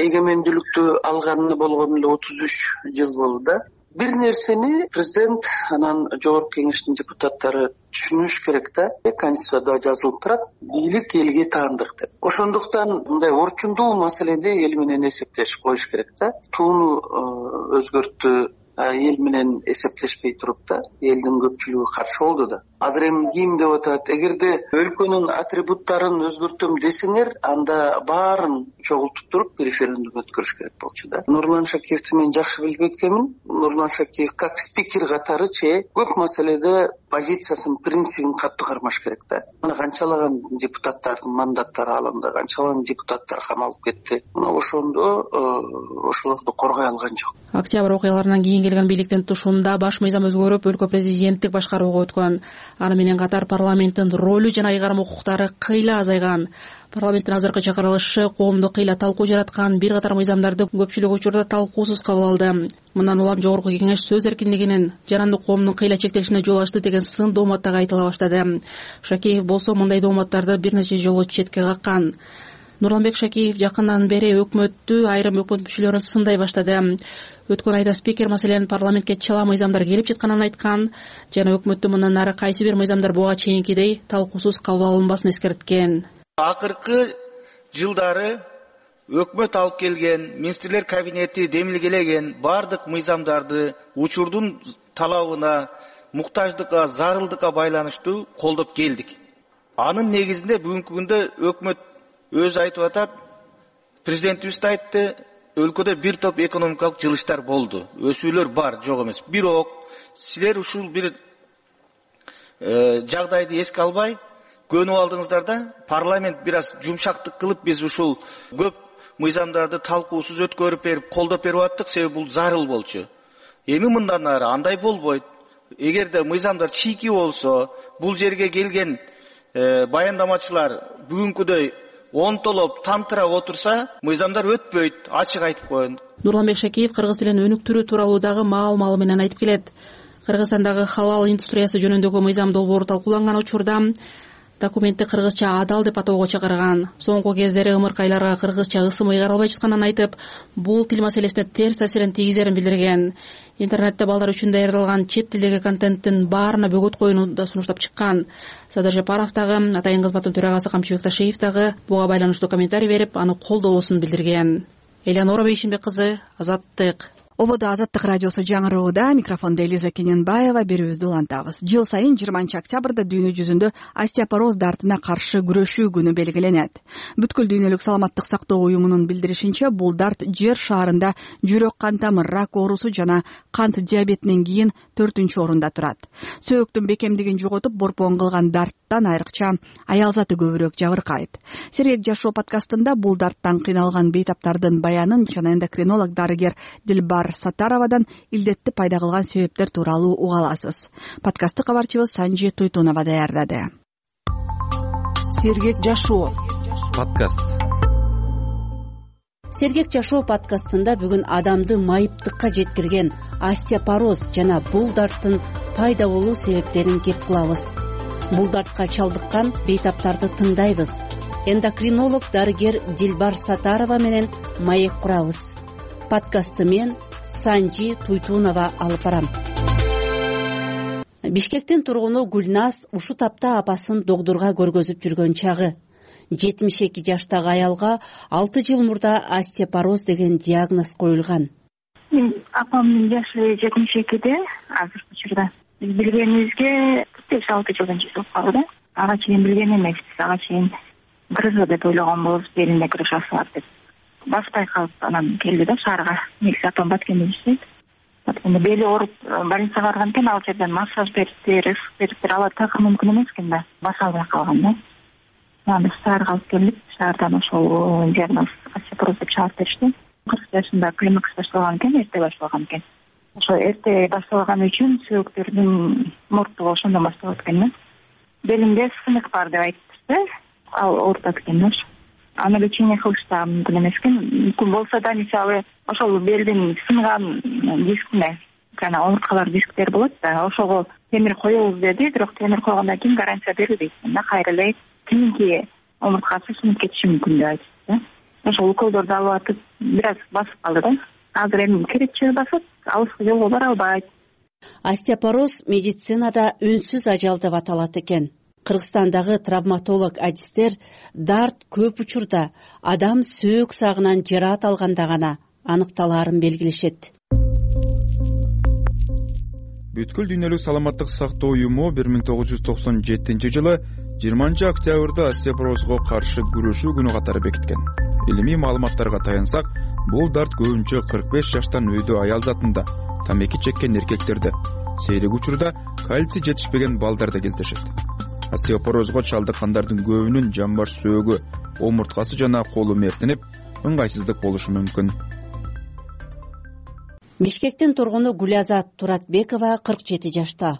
эгемендүүлүктү алганына болгону эле отуз үч жыл болду да. бир нерсени президент анан жогорку кеңештин депутаттары түшүнүш керек да. Конституцияда жазылып турат, бийлик элге таандык деп. Ошондуктан мындай орчундуу маселеде эл менен эсептешип коюш керек да. Тууну өзгөрттү, эл менен эсептешпей туруп да, элдин көпчүлүгү каршы болду да. Азыр эми ким деп атат? Эгерде өлкөнүн атрибуттарын өзгөртөм десеңер, анда баарын чогултуп туруп референдум өткөрүш керек болчу да. Нурлан Шакиевти мен жакшы билип кеткенмин. Нурлан Шакиев как спикер катары че көп маселеде позициясын, принцибин катуу кармаш керек да. Мына канчалаган депутаттардын мандаттары алынды, канчалаган депутаттар камалып кетти. Мына ошондо ошолорду коргой алган жок. Октябрь окуяларынан кийин келген бийликтин тушуунда баш мыйзам өзгөрүп, өлкө президенттик башкарууга өткөн. Аны менен катар парламенттин ролу жана ыйгарым укуктары кыйла азайган. Парламенттин азыркы чакырылышы коомдо кыйла талкуу жараткан, бир катар мыйзамдарды көпчүлүк учурда талкуусуз кабыл алды. Мындан улам жогорку кеңеш сөз эркиндигинин, жарандык коомдун кыйла чектелишине жол ачты деген сын дооматтагы айтыла баштады. Шакеев болсо мындай дооматтарды бир нече жолу четке каккан. Нурланбек Шакеев жакындан бери өкмөттү, айрым өкмөт мүчөлөрүн сындай баштады. Өткөн айда спикер маселенин парламентке чала мыйзамдар келип жатканын айткан жана өкмөттү мындан нары кайсы бир мыйзамдар буга чейинкидей талкуусуз кабыл алынбасын эскерткен. Акыркы жылдары өкмөт алып келген, министрлер кабинети демилгелеген бардык мыйзамдарды учурдун талабына, муктаждыкка, зарылдыкка байланыштуу колдоп келдик. Анын негизинде бүгүнкү күндө өкмөт өзү айтып атат, президентибиз да айтты, өлкөдө бир топ экономикалык жылыштар болду. Өсүүлөр бар, жок эмес. Бирок силер ушул бир жагдайды эске албай көнүп алдыңыздар да, парламент бир аз жумшактык кылып, биз ушул көп мыйзамдарды талкуусуз өткөрүп берип, колдоп берип аттык, себеби бул зарыл болчу. Эми мындан ары андай болбойт. Эгерде мыйзамдар чийки болсо, бул жерге келген баяндамачылар бүгүнкүдөй онтолоп, тамтыра отурса, мыйзамдар өтпөйт, ачык айтып коеюн. Нурланбек Шакиев кыргыз тилин өнүктүрүү тууралуу дагы маал-маалы менен айтып келет. Кыргызстандагы халал индустриясы жөнүндөгү мыйзам долбоору талкууланган учурда документти кыргызча адал деп атоого чакырган. Соңку кездери ымыркайларга кыргызча ысым ыйгарылбай жатканын айтып, бул тил маселесине терс таасирин тийгизерин билдирген. Интернетте балдар үчүн даярдалган чет тилдеги контенттин баарына бөгөт коюуну да сунуштап чыккан. Садыр Жапаров дагы, Атайын кызматтын төрагасы Камчыбек Ташиев дагы буга байланыштуу комментарий берип, аны колдоосун билдирген. Элеонора Бейшимбек кызы, Азаттык. Ободо Азаттык радиосу жаңырууда, микрофондо Элиза Кененбаева, берүүбүздү улантабыз. Жыл сайын жыйырманчы октябрда дүйнө жүзүндө остеопороз дартына каршы күрөшүү күнү белгиленет. Бүткүл дүйнөлүк саламаттык сактоо уюмунун билдиришинче, бул дарт жер шаарында жүрөк кан тамыр рак оорусу жана кант диабетинен кийин төртүнчү орунда турат. Сөөктүн бекемдигин жоготуп, борбон кылган дарттан айрыкча аял заты көбүрөөк жабыркайт. Сергек жашоо подкастында бул дарттан кыйналган бейтаптардын баянын жана эндокринолог дарыгер Дилбар Сатаровадан илдетти пайда кылган себептер тууралуу уга аласыз. Подкастты кабарчыбыз Санжи Туйтунова даярдады. Сергек жашоо подкаст. Сергек жашоо подкастында бүгүн адамды майыптыкка жеткирген остеопороз жана бул дарттын пайда болуу себептерин кеп кылабыз. Бул дартка чалдыккан бейтаптарды тыңдайбыз. Эндокринолог дарыгер Дилбар Сатарова менен маек курабыз. Подкастты мен Санжи Туйтунова алып барам. Бишкектин тургуну Гүлназ ушу тапта апасын доктурга көргөзүп жүргөн чагы. жетимиш эки жаштагы аялга алты жыл мурда остеопороз деген диагноз коюлган. Апамдын жашы жетимиш экиде азыркы учурда. Биз билгенибизге беш алты жылдан жүзүп калды. Ага чейин билген эмеспиз. Ага чейин грыжа деп ойлогон болобуз, белинде грыжа бар деп. Баспай калып анан келди да шаарга. Негизи апам Баткенде иштейт. Баткенде бели ооруп больницага барган экен, ал жерден массаж бериптир, ысык бериптир, ала такыр мүмкүн эмес экен да. Баса албай калган да. Анан шаарга алып келдик. Шаардан ошол диагноз остеопороз деп чыгарып беришти. кырк жашында климакс башталган экен, эрте башталган экен. Ошо эрте башталган үчүн сөөктөрдүн мурттугу ошондон башталат экен да. Белимде сынык бар деп айтышты. Ал оорутат экен да. Аны лечение кылыш да мүмкүн эмес экен. Мүмкүн болсо да, мисалы, ошол белдин сынган дискине, жана омурткалар дисктер болот да, ошого темир коебуз деди, бирок темир койгондон кийин гарантия берилбейт да, кайра эле кийинки омурткасы сынып кетиши мүмкүн деп айтышты да. Ошол уколдорду алып атып, бир аз басып калды да. Азыр эми керечеги басат, алыскы жолго бара албайт. Остеопороз медицинада үнсүз ажал деп аталат экен. Кыргызстандагы травматолог адистер дарт көп учурда адам сөөк сагынан жараат алганда гана аныкталаарын белгилешет. Бүткүл дүйнөлүк саламаттык сактоо уюму бир миң тогуз жүз токсон жетинчи жылы жыйырманчы октябрда остеопорозго каршы күрөшүү күнү катары бекиткен. Илимий маалыматтарга таянсак, бул дарт көбүнчө кырк беш жаштан өйдө аял затында, тамеки чеккен эркектерде, сейрек учурда кальций жетишпеген балдарда кездешет. Остеопорозго чалдыккандардын көбүнүн жамбаш сөөгү, омурткасы жана колу мертенип, ыңгайсыздык болушу мүмкүн. Бишкектин тургуну Гулязат Туратбекова кырк жети жашта.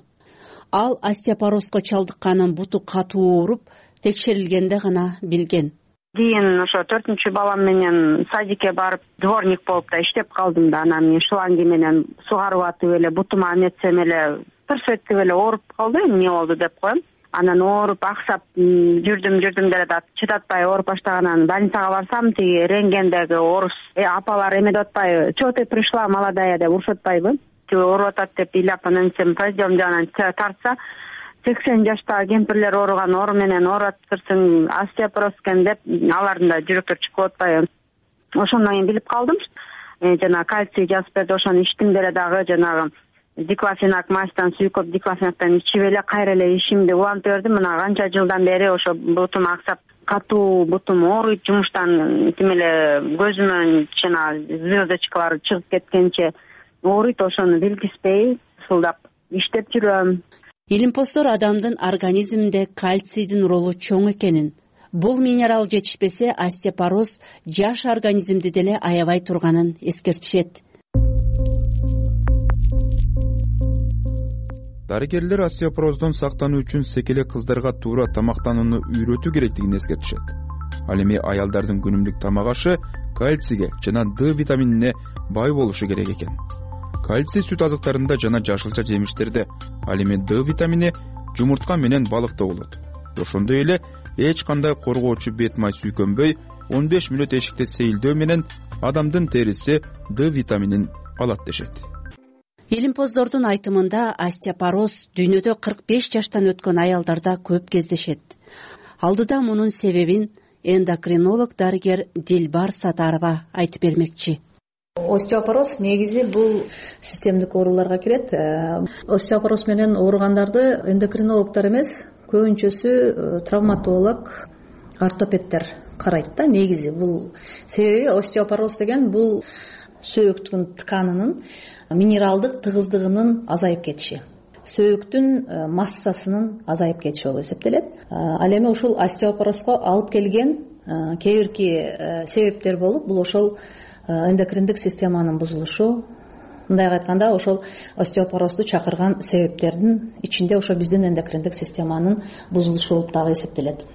Ал остеопорозго чалдыкканын буту катуу ооруп, текшерилгенде гана билген. Кийин ошо төртүнчү балам менен садикке барып, дворник болуп да иштеп калдым да, анан мен шланги менен сугарып атып эле бутума эметсем эле тырсетип эле ооруп калды, эмне болду деп коем. Анан ооруп аксап жүрдүм жүрдүм деле да чыдатпай ооруп баштаганан больницага барсам, тиги рентгендеги орус апалар эме деп атпайбы, чего ты пришла, молодая деп урушуп атпайбы, ооруп атат деп ыйлап анан сен пойдем деп анан тартса, сексен жаштагы кемпирлер ооруган оору менен ооратырсың, остеопороз экен деп алардын да жүрөктөрү чыгып атпайбы. Ошондон кийин билип калдым. Жана кальций жазып берди, ошону ичтим деле дагы, жанагы диклофенак мастан сүйкөп диклофенактан ичип эле кайра эле ишимди улантып бердим. Мына канча жылдан бери ошо бутум аксап, катуу бутум ооруйт, жумуштан тим эле көзүмөн жана звездочкалар чыгып кеткенче ооруйт. Ошону билгизбей ысылдап иштеп жүрөм. Илимпоздор адамдын организминде кальцийдин ролу чоң экенин, бул минерал жетишпесе остеопороз жаш организмди деле аябай турганын эскертишет. Дарыгерлер остеопороздон сактануу үчүн секеле кыздарга туура тамактанууну үйрөтүү керектигин эскертишет. Ал эми аялдардын күнүмдүк тамак ашы кальцийге жана Д витаминине бай болушу керек экен. Кальций сүт азыктарында жана жашылча жемиштерде, ал эми Д витамини жумуртка менен балыкта болот. Ошондой эле эч кандай коргоочу бет май сүйкөнбөй, он беш мүнөт эшикте сейилдөө менен адамдын териси Д витаминин алат дешет. Илимпоздордун айтымында остеопороз дүйнөдө кырк беш жаштан өткөн аялдарда көп кездешет. Алдыда мунун себебин эндокринолог дарыгер Дилбар Сатарова айтып бермекчи. Остеопороз негизи бул системдик ооруларга кирет. Остеопороз менен ооругандарды эндокринологдор эмес, көбүнчөсү травматолог, ортопедтер карайт да. Негизи бул себеби остеопороз деген бул сөөктүн тканынын минералдык тыгыздыгынын азайып кетиши, сөөктүн массасынын азайып кетиши болуп эсептелет. Ал эми ушул остеопорозго алып келген кээ бирки себептер болуп, бул ошол эндокриндик системанын бузулушу. Мындайга айтканда, ошол остеопорозду чакырган себептердин ичинде ошо биздин эндокриндик системанын бузулушу болуп дагы эсептелет.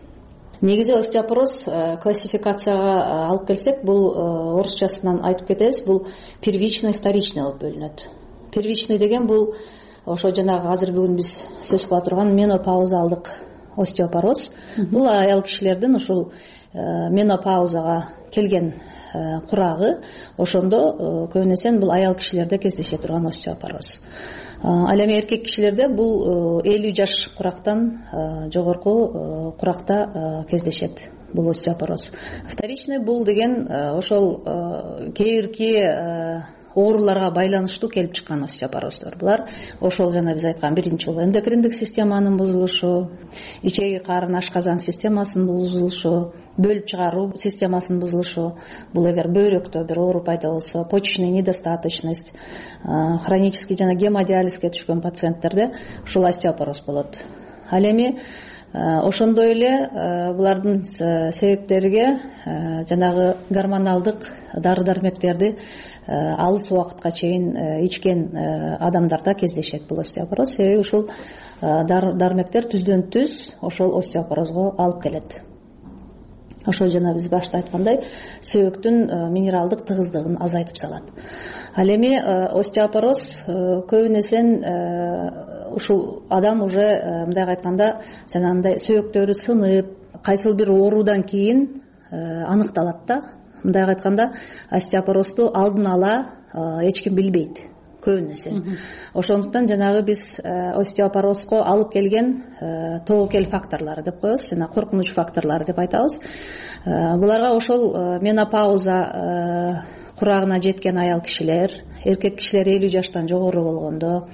Негизи остеопороз классификацияга алып келсек, бул орусчасынан айтып кетебиз, бул первичный, вторичный болуп бөлүнөт. Первичный деген бул ошо жанагы азыр бүгүн биз сөз кыла турган менопаузалдык остеопороз. Бул аял кишилердин ушул менопаузага келген курагы, ошондо көбүн эсе бул аял кишилерде кездеше турган остеопороз. Ал эми эркек кишилерде бул элүү жаш курактан жогорку куракта кездешет бул остеопороз. Вторичный бул деген ошол кээ бирки ооруларга байланыштуу келип чыккан остеопороздор. Булар ошол жана биз айткан биринчи бул эндокриндик системанын бузулушу, ичеги карын ашказан системасынын бузулушу, бөлүп чыгаруу системасынын бузулушу. Бул эгер бөйрөктө бир оору пайда болсо, почечный недостаточность, хронический жана гемодиализге түшкөн пациенттерде ушул остеопороз болот. Ал эми ошондой эле булардын себептериге жанагы гормоналдык дары-дармектерди алыс убакытка чейин ичкен адамдарда кездешет бул остеопороз. Себеби ушул дары-дармектер түздөн түз ошол остеопорозго алып келет. Ошол жана биз башта айткандай, сөөктүн минералдык тыгыздыгын азайтып салат. Ал эми остеопороз көбүн эсен ушул адам уже мындайга айтканда, жанагындай сөөктөрү сынып, кайсыл бир оорудан кийин аныкталат да. Мындайга айтканда, остеопорозду алдын ала эч ким билбейт. көбүнесе. Ошондуктан жанагы биз остеопорозго алып келген тобокел факторлору деп коебуз, жана коркунуч факторлору деп айтабыз. Буларга ошол менопауза курагына жеткен аял кишилер, эркек кишилер элүү жаштан жогору болгондо,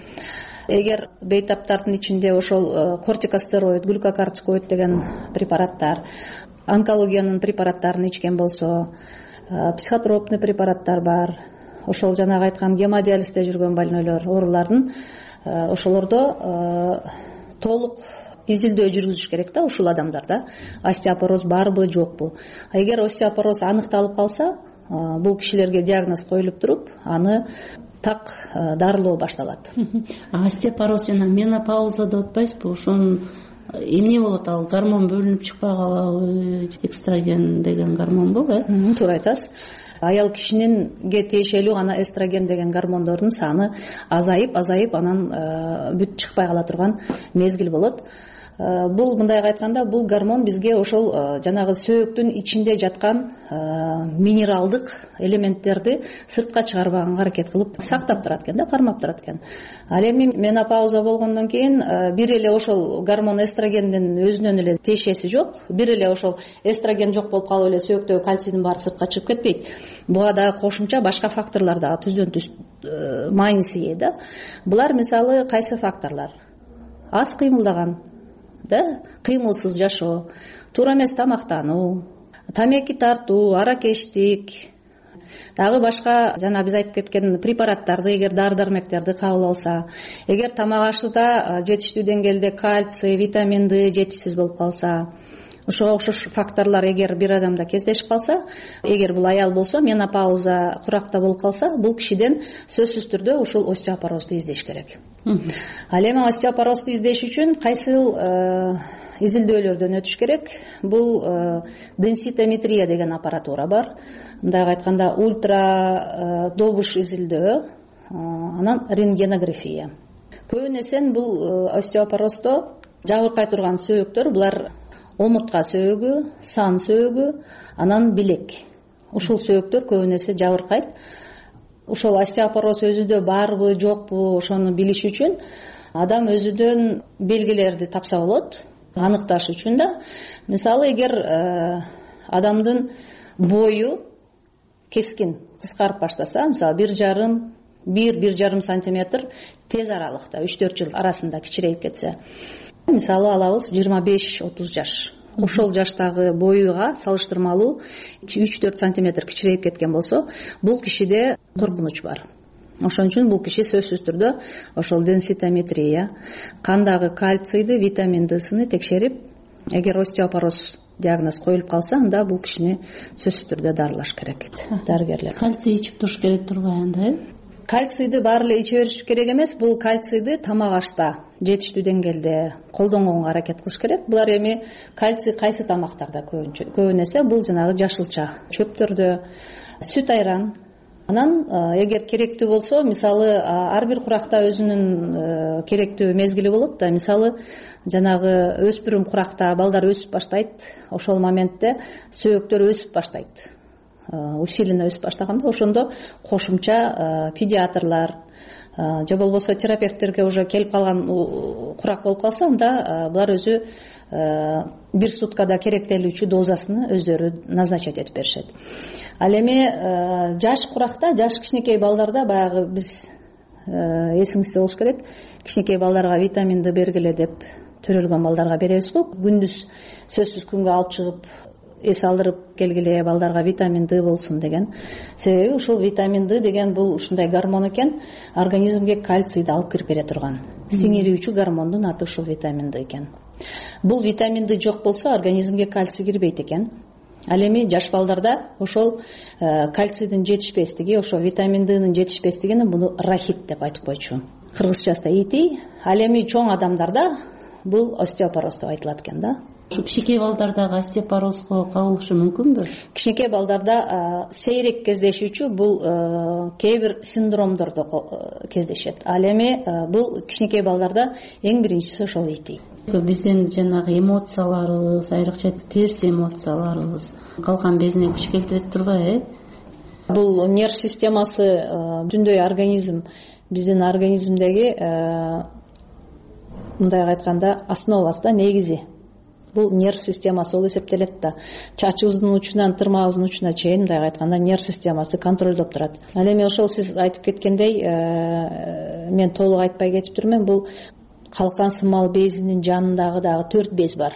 эгер бейтаптардын ичинде ошол кортикостероид, глюкокортикоид деген препараттар, онкологиянын препараттарын ичкен болсо, психотропный препараттар бар, ошол жанагы айткан гемодиализде жүргөн больнойлор, оорулардын ошолордо толук изилдөө жүргүзүш керек да ушул адамдарда остеопороз барбы жокпу. Эгер остеопороз аныкталып калса, бул кишилерге диагноз коюлуп туруп, аны так дарылоо башталат. Остеопороз жана менопауза деп атпайсызбы? Ошонун эмне болот? Ал гормон бөлүнүп чыкпай калабы? Экстраген деген гормонбу, э? Туура айтасыз. Аял кишининге тиешелүү гана эстроген деген гормондордун саны азайып, азайып анан бүт чыкпай кала турган мезгил болот. Бул мындайга айтканда, бул гормон бизге ошол жанагы сөөктүн ичинде жаткан минералдык элементтерди сыртка чыгарбаганга аракет кылып сактап турат экен да, кармап турат экен. Ал эми менопауза болгондон кийин бир эле ошол гормон эстрогендин өзүнөн эле тиешеси жок, бир эле ошол эстроген жок болуп калып эле сөөктөгү кальцийдин баары сыртка чыгып кетпейт. Буга дагы кошумча башка факторлор дагы түздөн түз майнеси да. Булар мисалы кайсы факторлор? Аз кыймылдаган, да, кыймылсыз жашоо, туура эмес тамактануу, тамеки тартуу, аракечтик, дагы башка жана биз айтып кеткен препараттарды, эгер дары-дармектерди кабыл алса, эгер тамак ашууда жетиштүү деңгээлде кальций, витамин Д жетишсиз болуп калса, ошого окшош факторлор эгер бир адамда кездешип калса, эгер бул аял болсо, менопауза куракта болуп калса, бул кишиден сөзсүз түрдө ушул остеопорозду издеш керек. Ал эми остеопорозду издеш үчүн кайсы изилдөөлөрдөн өтүш керек? Бул денситометрия деген аппаратура бар. Мындайга айтканда, ультра добуш изилдөө, анан рентгенография. Көбүн эсен бул остеопороздо жабыркай турган сөөктөр, булар омуртка сөөгү, сан сөөгү, анан билек. Ушул сөөктөр көбүн эсе жабыркайт. Ошол остеопороз өзүдө барбы, жокпу, ошону билиш үчүн адам өзүдөн белгилерди тапса болот, аныкташ үчүн да. Мисалы, эгер адамдын бою кескин кыскарып баштаса, мисалы бир жарым, бир бир жарым сантиметр тез аралыкта, үч төрт жыл арасында кичирейип кетсе, мисалы алабыз жыйырма беш отуз жаш. Ошол жаштагы боюга салыштырмалуу үч төрт сантиметр кичирейип кеткен болсо, бул кишиде коркунуч бар. Ошон үчүн бул киши сөзсүз түрдө ошол денситометрия, кандагы кальцийди, витамин Д'сыны текшерип, эгер остеопороз диагноз коюлуп калса, анда бул кишини сөзсүз түрдө дарылаш керек. Дарыгерлер. Кальций ичип туруш керек турбайбы анда, э? Кальцийди баары эле иче бериш керек эмес, бул кальцийди тамак ашта жетиштүү деңгээлде колдонгонго аракет кылыш керек. Булар эми кальций кайсы тамактарда көбүн эсе бул жанагы жашылча чөптөрдө, сүт айран. Анан эгер керектүү болсо, мисалы ар бир куракта өзүнүн керектүү мезгили болот да. Мисалы жанагы өспүрүм куракта балдар өсүп баштайт, ошол моментте сөөктөр өсүп баштайт. Усиленно өсүп баштаганда, ошондо кошумча педиатрлар же болбосо терапевттерге уже келип калган курак болуп калса, анда булар өзү бир суткада керектелүүчү дозасыны өздөрү назначать этип беришет. Ал эми жаш куракта, жаш кичинекей балдарда баягы биз эсиңизде болуш керек, кичинекей балдарга витамин Д бергиле деп төрөлгөн балдарга беребиз го. Күндүз сөзсүз күнгө алып чыгып эс алдырып келгиле, балдарга витамин Д болсун деген. Себеби ушул витамин Д деген бул ушундай гормон экен, организмге кальцийди алып кирип бере турган. Сиңирүүчү гормондун аты ушул витамин Д экен. Бул витамин Д жок болсо, организмге кальций кирбейт экен. Ал эми жаш балдарда ошол кальцийдин жетишпестиги, ошол витамин Д'нын жетишпестигини буну рахит деп айтып койчу. Кыргызчасы ити. Ал эми чоң адамдарда бул остеопороз деп айтылат экен да. Ушу кичинекей балдардагы остеопорозго кабылышы мүмкүнбү? Кичинекей балдарда сейрек кездешүүчү бул кээ бир синдромдордо кездешет. Ал эми бул кичинекей балдарда эң биринчиси ошол ити. Биздин жанагы эмоцияларыбыз, айрыкча терс эмоцияларыбыз калкан безине күч келтире турбайбы, э? Бул нерв системасы, түндөй организм биздин организмдеги мындайга айтканда основасы да, негизи бул нерв системасы болуп эсептелет да. Чачыбыздын учунан тырмагыбыздын учуна чейин мындайга айтканда нерв системасы контролдоп турат. Ал эми ошол сиз айтып кеткендей, мен толук айтпай кетип турмун, бул калкан сымал безинин жанындагы дагы төрт без бар.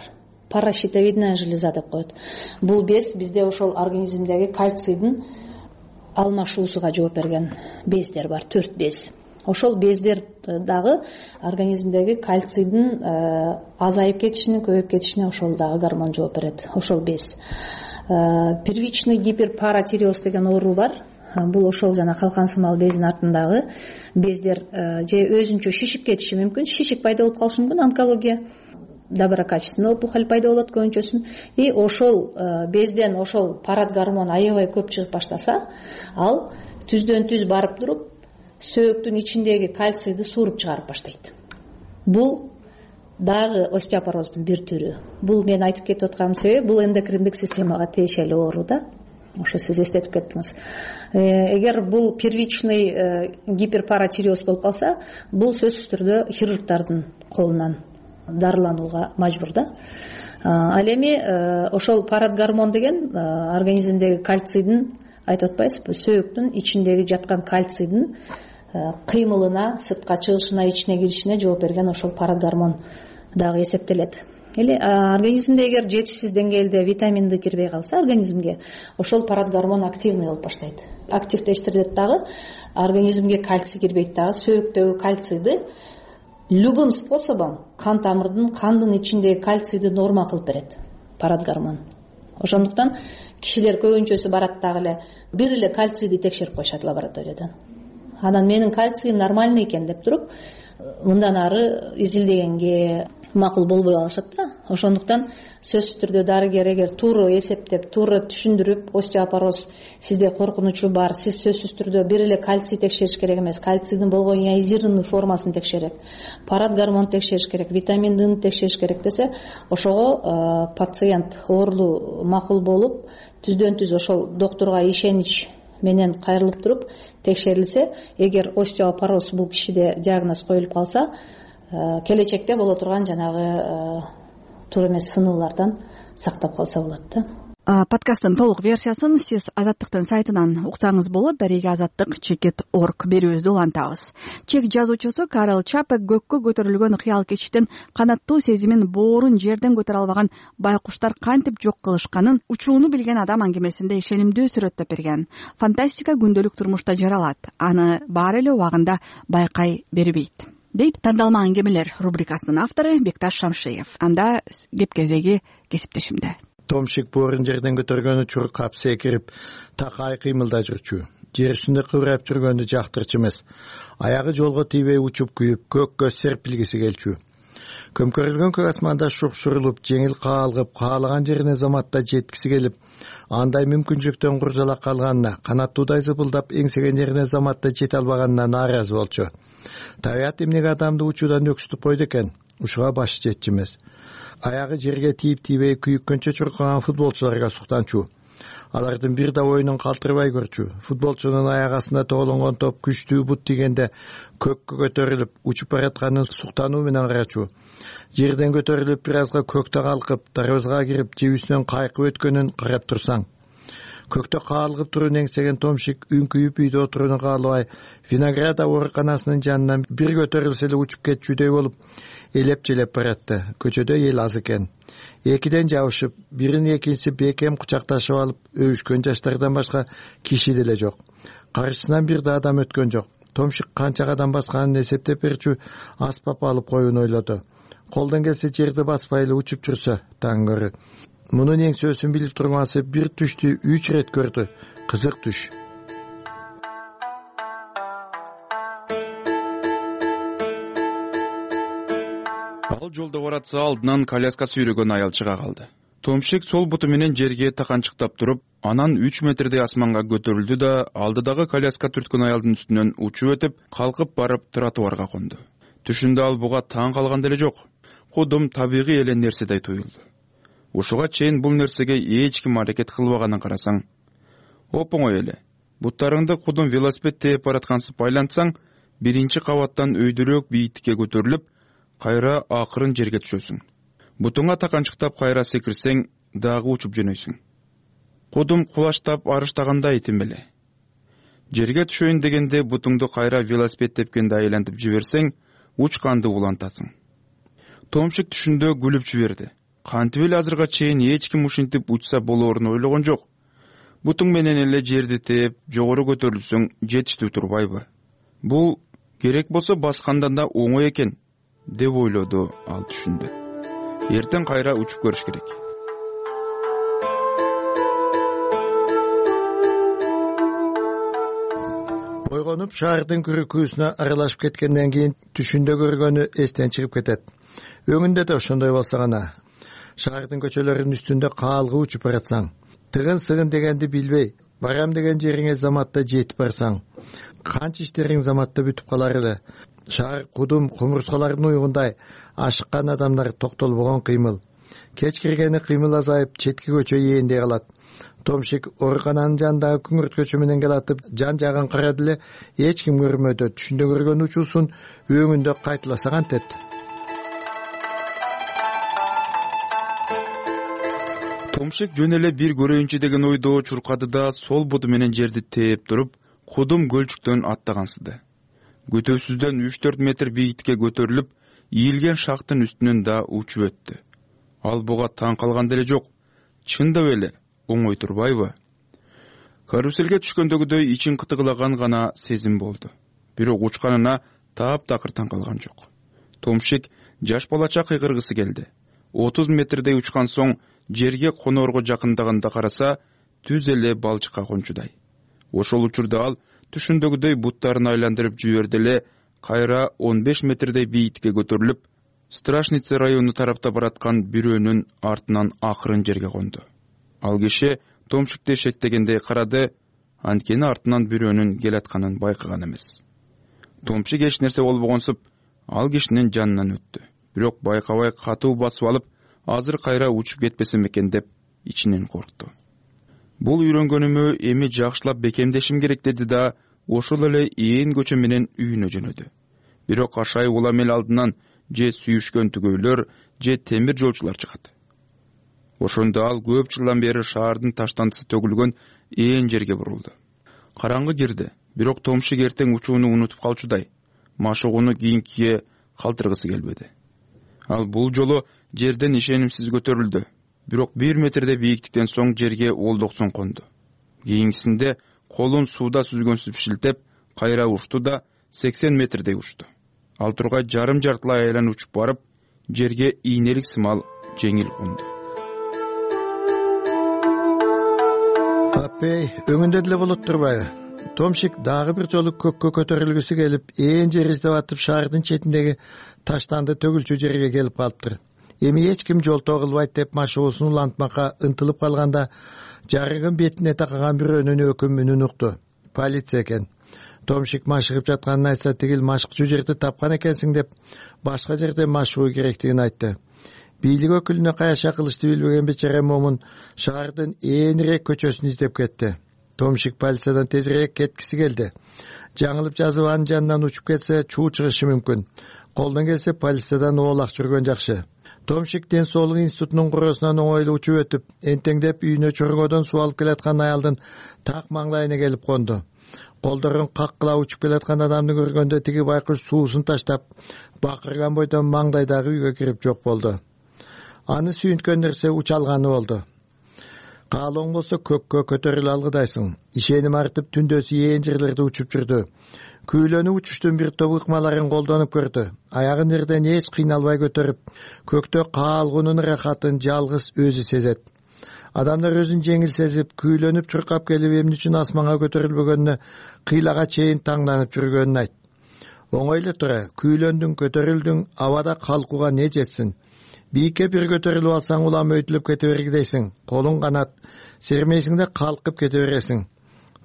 Паращитовидная железа деп коет. Бул без бизде ошол организмдеги кальцийдин алмашуусуга жооп берген бездер бар, төрт без. Ошол бездер дагы организмдеги кальцийдин азайып кетишине, көбөйүп кетишине ошол дагы гормон жооп берет, ошол без. Первичный гиперпаратиреоз деген оору бар. Бул ошол жана калкан сымал безинин артындагы бездер же өзүнчө шишип кетиши мүмкүн, шишик пайда болуп калышы мүмкүн, онкология, доброкачественный опухоль пайда болот көбүнчөсүн. И ошол безден ошол парат гормон аябай көп чыгып баштаса, ал түздөн түз барып туруп сөөктүн ичиндеги кальцийди сууруп чыгарып баштайт. Бул дагы остеопороздун бир түрү. Бул мен айтып кетип атканымдын себеби, бул эндокриндик системага тиешелүү оору да. Ошо сиз эстетип кеттиңиз. Эгер бул первичный гиперпаратиреоз болуп калса, бул сөзсүз түрдө хирургдардын колунан дарыланууга мажбур да. Ал эми ошол парат гормон деген организмдеги кальцийдин, айтып атпайсызбы, сөөктүн ичиндеги жаткан кальцийдин кыймылына, сыртка чыгышына, ичине киришине жооп берген ошол парат гормон дагы эсептелет. Или организмде эгер жетишсиз деңгээлде витамин Д кирбей калса организмге, ошол парат гормон активный болуп баштайт. Активдештирет дагы, организмге кальций кирбейт дагы, сөөктөгү кальцийди любым способом кан тамырдын, кандын ичиндеги кальцийди норма кылып берет парат гормон. Ошондуктан кишилер көбүнчөсү барат дагы эле бир эле кальцийди текшерип коюшат лабораториядан. Анан менин кальцийим нормальный экен деп туруп, мындан ары изилдегенге макул болбой калышат да. Ошондуктан сөзсүз түрдө дарыгер эгер туура эсептеп, туура түшүндүрүп, остеопороз сизде коркунучу бар, сиз сөзсүз түрдө бир эле кальций текшериш керек эмес, кальцийдин болгон ионизированный формасын текшерет, парат гормон текшериш керек, витамин Д'ни текшериш керек десе, ошого пациент оорулуу макул болуп, түздөн түз ошол доктурга ишенич менен кайрылып туруп текшерилсе, эгер остеопороз бул кишиде диагноз коюлуп калса, келечекте боло турган жанагы туура эмес сынуулардан сактап калса болот да. Подкасттын толук версиясын сиз Азаттыктын сайтынан уксаңыз болот. Дарега азаттык чекит орг берүүбүздү улантабыз. Чек жазуучусу Карл Чапек көккө көтөрүлгөн кыял кечиштин канаттуу сезимин боорун жерден көтөрө албаган байкуштар кантип жок кылышканын учууну билген адам аңгемесинде ишенимдүү сүрөттөп берген. Фантастика күндөлүк турмушта жаралат, аны баары эле убагында байкай бербейт, дейт тандалма аңгемелер рубрикасынын автору Бекташ Шамшиев. Анда кеп кезеги кесиптешимде. Томшик боорун жерден көтөргөн учур кап секирип, такай кыймылда жүрчү. Жер үстүндө кыбырап жүргөндү жактырчу эмес. Аягы жолго тийбей учуп күйүп, көккө серпилгиси келчү. Көмкөрүлгөн көк асманда шукшурулуп, жеңил каалгып, каалаган жерине заматта жеткиси келип, андай мүмкүнчүлүктөн куржалак калганына, канаттуудай зыпылдап эңсеген жерине заматта жете албаганына нааразы болчу. Табият эмнеге адамды учуудан өксүтүп койду экен? Ушуга башы жетчү эмес. Аягы жерге тийип-тийбей күйүккөнчө чуркаган футболчуларга суктанчу. Алардын бир да оюнун калтырбай көрчү. Футболчунун аяк астына тоголонгон топ күчтүү бут тийгенде көккө көтөрүлүп, учуп баратканын суктануу менен карачу. Жерден көтөрүлүп, бир азга көктө калкып, дарбазга кирип, жебүсүнөн кайкып өткөнүн карап турсаң. Көктө каалгып турууну эңсеген Томшик үңкүйүп үйдө отурууну каалабай, виноград ооруканасынын жанынан бир көтөрүлсө эле учуп кетчүдөй болуп, элеп-желеп баратты. Көчөдө эл аз экен. Экиден жабышып, бирин экинчиси бекем кучакташып алып, өбүшкөн жаштардан башка киши деле жок. Каршысынан бир да адам өткөн жок. Томшик канча кадам басканын эсептеп берчү, аспап алып коюуну ойлоду. Колдон келсе жерди баспай эле учуп жүрсө, таң көрү. Мунун эңсөөсүн билип турмасы бир түштү үч ирет көрдү. Кызык түш. Ал жолдо баратса алдынан коляска сүйрөгөн аял чыга калды. Томшик сол буту менен жерге таканчыктап туруп, анан үч метрдей асманга көтөрүлдү да алдыдагы коляска түрткөн аялдын үстүнөн учуп өтүп, калкып барып тротуарга конду. Түшүндө ал буга таң калган деле жок. Кудум табигый эле нерседей туюлду. Ушуга чейин бул нерсеге эч ким аракет кылбаганын карасаң, оп-оңой эле. Буттарыңды кудум велосипед тээп бараткансып айлантсаң, биринчи кабаттан өйдөрөөк бийиктикке көтөрүлүп, кайра акырын жерге түшөсүң. Бутуңа таканчыктап кайра секирсең, дагы учуп жөнөйсүң. Кудум кулаштап арыштагандай тимбеле. Жерге түшөйүн дегенде бутуңду кайра велосипед тепкенде айлантып жиберсең, учканды улантасың. Томшик түшүндө күлүп жиберди. Кантип эле азырга чейин эч ким ушинтип учса болоорун ойлогон жок. Бутуң менен эле жерди теп, жогору көтөрүлсөң жетиштүү турбайбы? Бул керек болсо баскандан да оңой экен, деп ойлоду ал түшүндө. Эртең кайра учуп көрүш керек. Ойгонуп шаардын күрүкүүсүнө аралашып кеткенден кийин түшүндө көргөнү эстен чыгып кетет. Өңүндө да ошондой болсо гана. Шаардын көчөлөрүнүн үстүндө каалгы учуп баратсаң, тыгын сыгын дегенди билбей, барам деген жериңе заматта жетип барсаң, канча иштериң заматта бүтүп калар эле. Шаар кудум кумурскалардын уйгундай ашыккан адамдар токтолбогон кыймыл. Кеч киргени кыймыл азайып, четки көчө ээндей калат. Томшик оорукананын жанындагы күңүрт көчө менен келатып, жан жагын карады эле, эч ким көрмөдү. Түшүндө көргөн учуусун өңүндө кайталаса кантет. Томшик жөн эле бир көрөйүнчү деген ойдо чуркады да сол буту менен жерди тээп туруп, кудум көлчүктөн аттагансыды. Көтөсүздөн үч төрт метр бийиктикке көтөрүлүп, ийилген шактын үстүнөн да учуп өттү. Ал буга таң калган деле жок. Чындап эле оңой турбайбы? Каруселге түшкөндөгүдөй ичин кытыгылаган гана сезим болду. Бирок учканына таап-такыр таң калган жок. Томшик жаш балача кыйгыргысы келди. отуз метрдей учкан соң жерге коноорго жакындаганда караса, түз эле балчыкка кончудай. Ошол учурда ал түшүндөгүдөй буттарын айландырып жиберди эле, кайра он беш метрдей бийиктикке көтөрүлүп, Страшница району тарапта бараткан бирөөнүн артынан акырын жерге конду. Ал киши Томшикти шектегендей карады, анткени артынан бирөөнүн келатканын байкаган эмес. Томшик эч нерсе болбогонсуп, ал кишинин жанынан өттү. Бирок байкабай катуу басып алып, азыр кайра учуп кетпесем экен деп ичинен коркту. Бул үйрөнгөнүмө эми жакшылап бекемдешим керек деди да, ошол эле ээн көчө менен үйүнө жөнөдү. Бирок ашай улам эл алдынан же сүйүшкөн түгөйлөр, же темир жолчулар чыгат. Ошондо ал көп жылдан бери шаардын таштандысы төгүлгөн ээн жерге бурулду. Караңгы кирди, бирок Томшик эртең учууну унутуп калчудай, машыгууну кийинкиге калтыргысы келбеди. Ал бул жолу жерден ишенимсиз көтөрүлдү, бирок бир метрдей бийиктиктен соң жерге олдоксон конду. Кийинкисинде колун сууда сүзгөнсүп шилтеп, кайра учту да сексен метрдей учту. Ал тургай жарым жартылай айлан учуп барып, жерге ийнелик сымал жеңил конду. Апей, өңүндө деле болот турбайбы? Томшик дагы бир жолу көккө көтөрүлгүсү келип, ээн жер издеп атып, шаардын четиндеги таштанды төгүлчү жерге келип калыптыр. Эми эч ким жолтоо кылбайт деп машыгуусун улантмакка ынтылып калганда, жарыгын бетине такаган бирөөнүн өкүм үнүн укту. Полиция экен. Томшик машыгып жатканын айтса, тигил машыкчу жерди тапкан экенсиң деп, башка жерде машыгуу керектигин айтты. Бийлик өкүлүнө каяша кылышты билбеген бечара момун шаардын ээнирээк көчөсүн издеп кетти. Томшик полициядан тезирээк кеткиси келди. Жаңылып жазып анын жанынан учуп кетсе, чуу чыгышы мүмкүн. Колдон келсе полициядан оолак жүргөн жакшы. Томшик ден соолук институтунун куроосунан оңойлуу учуп өтүп, энтеңдеп үйүнө чоргодон суу алып келаткан аялдын так маңдайына келип конду. Колдорун каккыла учуп келаткан адамды көргөндө тиги байкуш суусун таштап, бакырган бойдон маңдайдагы үйгө кирип жок болду. Аны сүйүнткөн нерсе учалганы болду. Каалооң болсо көккө көтөрүлө алгыдайсың. Ишеним артып түндөсү ээн жерлерде учуп жүрдү. Күйлөнүп учуштун бир топ ыкмаларын колдонуп көрдү. Аягын жерден эч кыйналбай көтөрүп, көктө каалгуунун рахатын жалгыз өзү сезет. Адамдар өзүн жеңил сезип, күйлөнүп чуркап келип, эмне үчүн асманга көтөрүлбөгөнүнө кыйлага чейин таңданып жүргөнүн айт. Оңой эле тура, күйлөндүң, көтөрүлдүң, абада калкууга не жетсин? Бийикке бир көтөрүлүп алсаң, улам өйтүлүп кете бергидейсиң. Колуң канат, сермейсиң да калкып кете бересиң.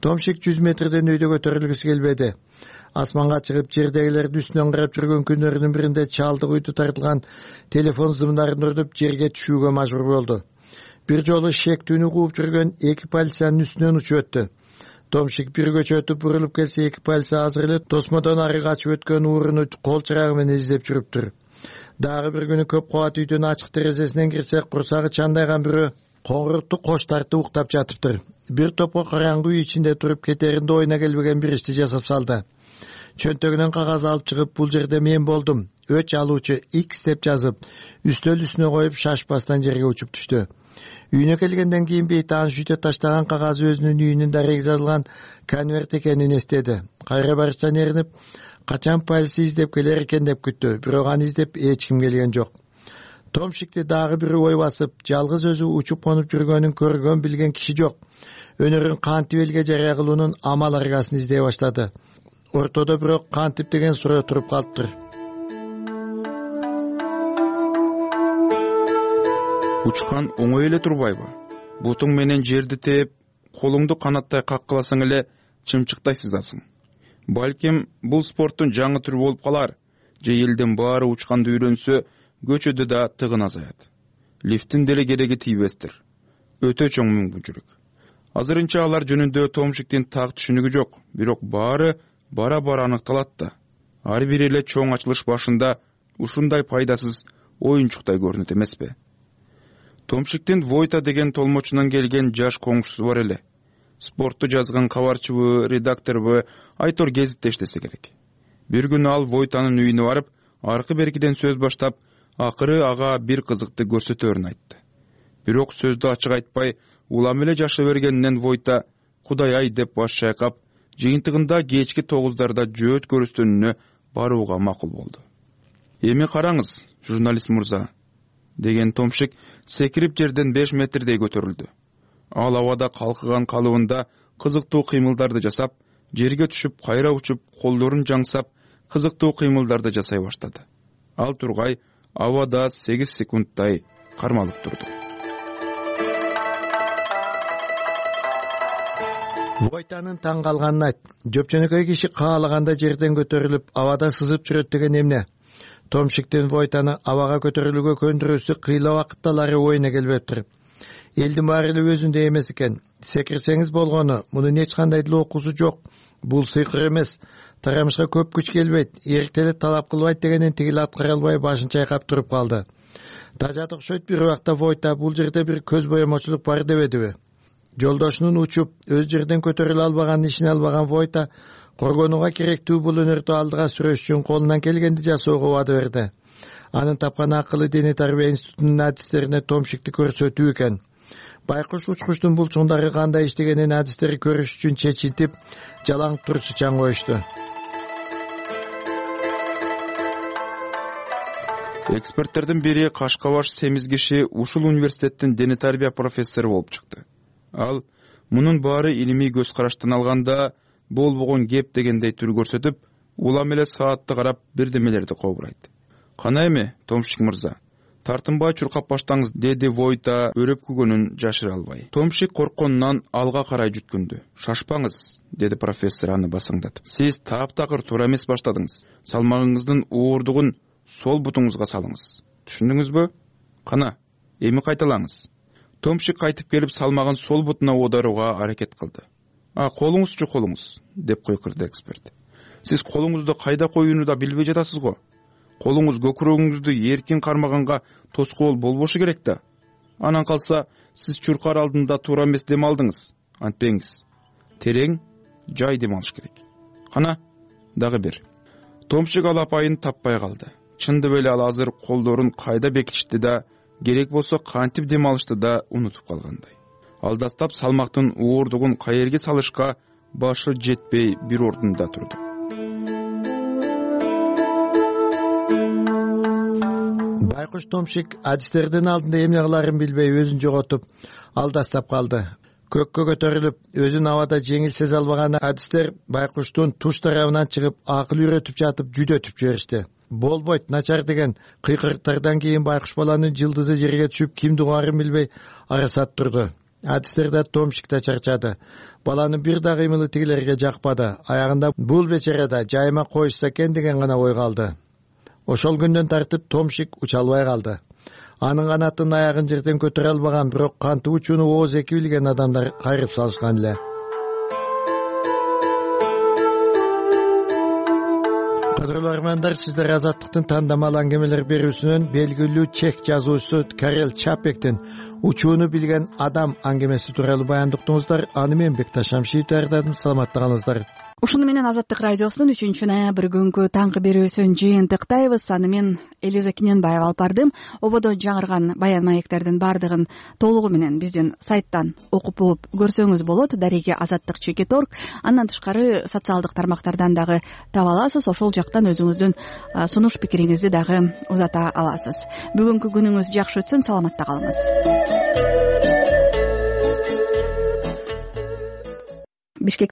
Томшик жүз метрден өйдө көтөрүлгүсү келбеди. Асманга чыгып, жердегилерди үстүнөн карап жүргөн күндөрүнүн биринде чалдык үйдү тартылган телефон зымдарын урдуп жерге түшүүгө мажбур болду. Бир жолу шектүүнү кууп жүргөн эки полициянын үстүнөн учуп өттү. Томшик бир көчөтүп бурулуп келсе, эки полиция азыр эле тосмодон ары качып өткөн ууруну кол чырагы менен издеп жүрүптүр. Дагы бир күнү көп кабат үйдүн ачык терезесинен кирсе, курсагы чандайган бирөө коңгурукту кош тартып уктап жатыптыр. Бир топко караңгы үй ичинде туруп кетеринде ойуна келбеген бир ишти жасап салды. Чөнтөгүнөн кагаз алып чыгып, бул жерде мен болдум, өч алуучу X деп жазып, үстөл үстүнө коюп шашпастан жерге учуп түштү. Үйүнө келгенден кийин бейти аны шүйтө таштаган кагазы өзүнүн үйүнүн дареги жазылган конверт экенин эстеди. Кайра барыштан эринип, качан полиция издеп келер экен деп күттү, бирок аны издеп эч ким келген жок. Томшикти дагы бир ой басып, жалгыз өзү учуп конуп жүргөнүн көргөн билген киши жок. Өнөрүн кантип элге жарыя кылуунун амал аргасын издей баштады. Ортодо бирок кантип деген суроо туруп калыптыр. Учкан оңой эле турбайбы? Бутуң менен жерди тээп, колуңду канаттай каккыласаң эле чымчыктай сызасың. Балким бул спорттун жаңы түрү болуп калар, же элдин баары учканды үйрөнсө, көчөдө да тыгын азаят. Лифттин деле кереги тийбестир. Өтө чоң мүмкүнчүлүк. Азырынча алар жөнүндө Томшиктин так түшүнүгү жок, бирок баары бара-бара аныкталат да. Ар бир эле чоң ачылыш башында ушундай пайдасыз оюнчуктай көрүнөт эмеспи? Томшиктин Войта деген толмочунан келген жаш коңшусу бар эле. Спортту жазган кабарчыбы, редакторбу, Айтор гезитте иштесе керек. Бир күнү ал Войтанын үйүнө барып, аркы беркиден сөз баштап, акыры ага бир кызыкты көрсөтөрүн айтты. Бирок сөздү ачык айтпай, улам эле жаша бергенинен Войта Кудай ай деп баш чайкап, жыйынтыгында кечки тогуздарда жөөт көрүстөнүнө барууга макул болду. Эми караңыз, журналист мырза, деген Томшик секирип жерден беш метрдей көтөрүлдү. Ал абада калкыган калыбында кызыктуу кыймылдарды жасап, жерге түшүп, кайра учуп, колдорун жаңсап, кызыктуу кыймылдарды жасай баштады. Ал тургай абада сегиз секундтай кармалып турду. Войтанын таң калганын айт. Жөпчөнөкөй киши каалаганда жерден көтөрүлүп, абада сызып жүрөт деген эмне? Томшиктин Войтаны абага көтөрүлүүгө көндүрүүсү кыйла убакытталары оюна келбептир. Элдин баары эле өзүндө эмес экен. Секирсеңиз болгону, мунун эч кандай деле окуусу жок. Бул сыйкыр эмес. Тарамышка көп күч келбейт, эрктелет талап кылбайт дегенин тигил аткара албай башын чайкап туруп калды. Тажат окшойт бир убакта Войта бул жерде бир көз боемочулук бар дебедиби? Жолдошунун учуп, өз жерден көтөрүлө албаганын ишине албаган Войта коргонууга керектүү бул өнөрдү алдыга сүрөш үчүн колунан келгенди жасоого убада берди. Анын тапкан акылы дене тарбия институтунун адистерине Томшикти көрсөтүү экен. Байкуш учкучтун булчуңдары кандай иштегенин адистери көрүш үчүн чечилтип, жалаң турчучан коюшту. Эксперттердин бири Кашкабаш семиз киши ушул университеттин дене тарбия профессору болуп чыкты. Ал мунун баары илимий көз караштан алганда болбогон кеп дегендей түр көрсөтүп, улам эле саатты карап бирдемелерди кобурайт. Кана эми, Томшик мырза, тартынбай чуркап баштаңыз, деди Войта өрөпкүгөнүн жашыра албай. Томшик коркконунан алга карай жүткүндү. Шашпаңыз, деди профессор аны басаңдатып. Сиз таптакыр туура эмес баштадыңыз. Салмагыңыздын уурдугун сол бутуңузга салыңыз. Түшүндүңүзбү? Кана, эми кайталаңыз. Томшик кайтып келип салмагын сол бутуна оодарууга аракет кылды. А колуңузчу колуңуз, деп койкурду эксперт. Сиз колуңузду кайда коюуну да билбей жатасыз го. Колуңуз көкүрөгүңүздү эркин кармаганга тоскоол болбошу керек да. Анан калса, сиз чуркар алдында туура эмес дем алдыңыз. Антпеңиз. Терең, жай дем алыш керек. Кана, дагы бир. Томшик ал апайын таппай калды. Чындап эле ал азыр колдорун кайда бекитишти да, керек болсо кантип дем алышты да унутуп калгандай. Алдастап салмактын уурдугун каерге салышка башы жетпей бир ордунда турду. Байкуш Томшик адистердин алдында эмне кыларын билбей өзүн жоготуп, алдастап калды. Көккө көтөрүлүп, өзүн абада жеңил сезе албаган адистер Байкуштун туш тарабынан чыгып, акыл үйрөтүп жатып жүдөтүп жиберишти. Болбойт, начар деген кыйкырыктардан кийин Байкуш баланын жылдызы жерге түшүп, кимди угарын билбей арасат турду. Адистер да Томшик да чарчады. Баланын бир да кыймылы тигилерге жакпады. Аягында бул бечерада жайма коюшса экен деген гана ой калды. Ошол күндөн тартып Томшик уча албай калды. Анын канатын аягын жерден көтөрө албаган, бирок кантип учууну ооз эки билген адамдар кайрып салышкан эле. кадырлуу армандар, сиздер Азаттыктын тандамал аңгемелер берүүсүнөн белгилүү чех жазуучусу Карел Чапектин учууну билген адам аңгемеси тууралуу баяндыктыңыздар. Аны мен Бекташ Шамшиев даярдадым. Саламаттыгыңыздар. Ушуну менен Азаттык радиосунун үчүнчү ноябрь күнгү таңкы берүүсүн жыйынтыктайбыз. Аны мен Элиза Кененбаева алып бардым. Ободо жаңырган баян маектердин баардыгын толугу менен биздин сайттан окуп угуп көрсөңүз болот. Дареги азаттык чекит орг. Андан тышкары социалдык тармактардан дагы таба аласыз. Ошол жактан өзүңүздүн сунуш пикириңизди дагы узата аласыз. Бүгүнкү күнүңүз жакшы өтсүн. Саламатта калыңыз. Бишкек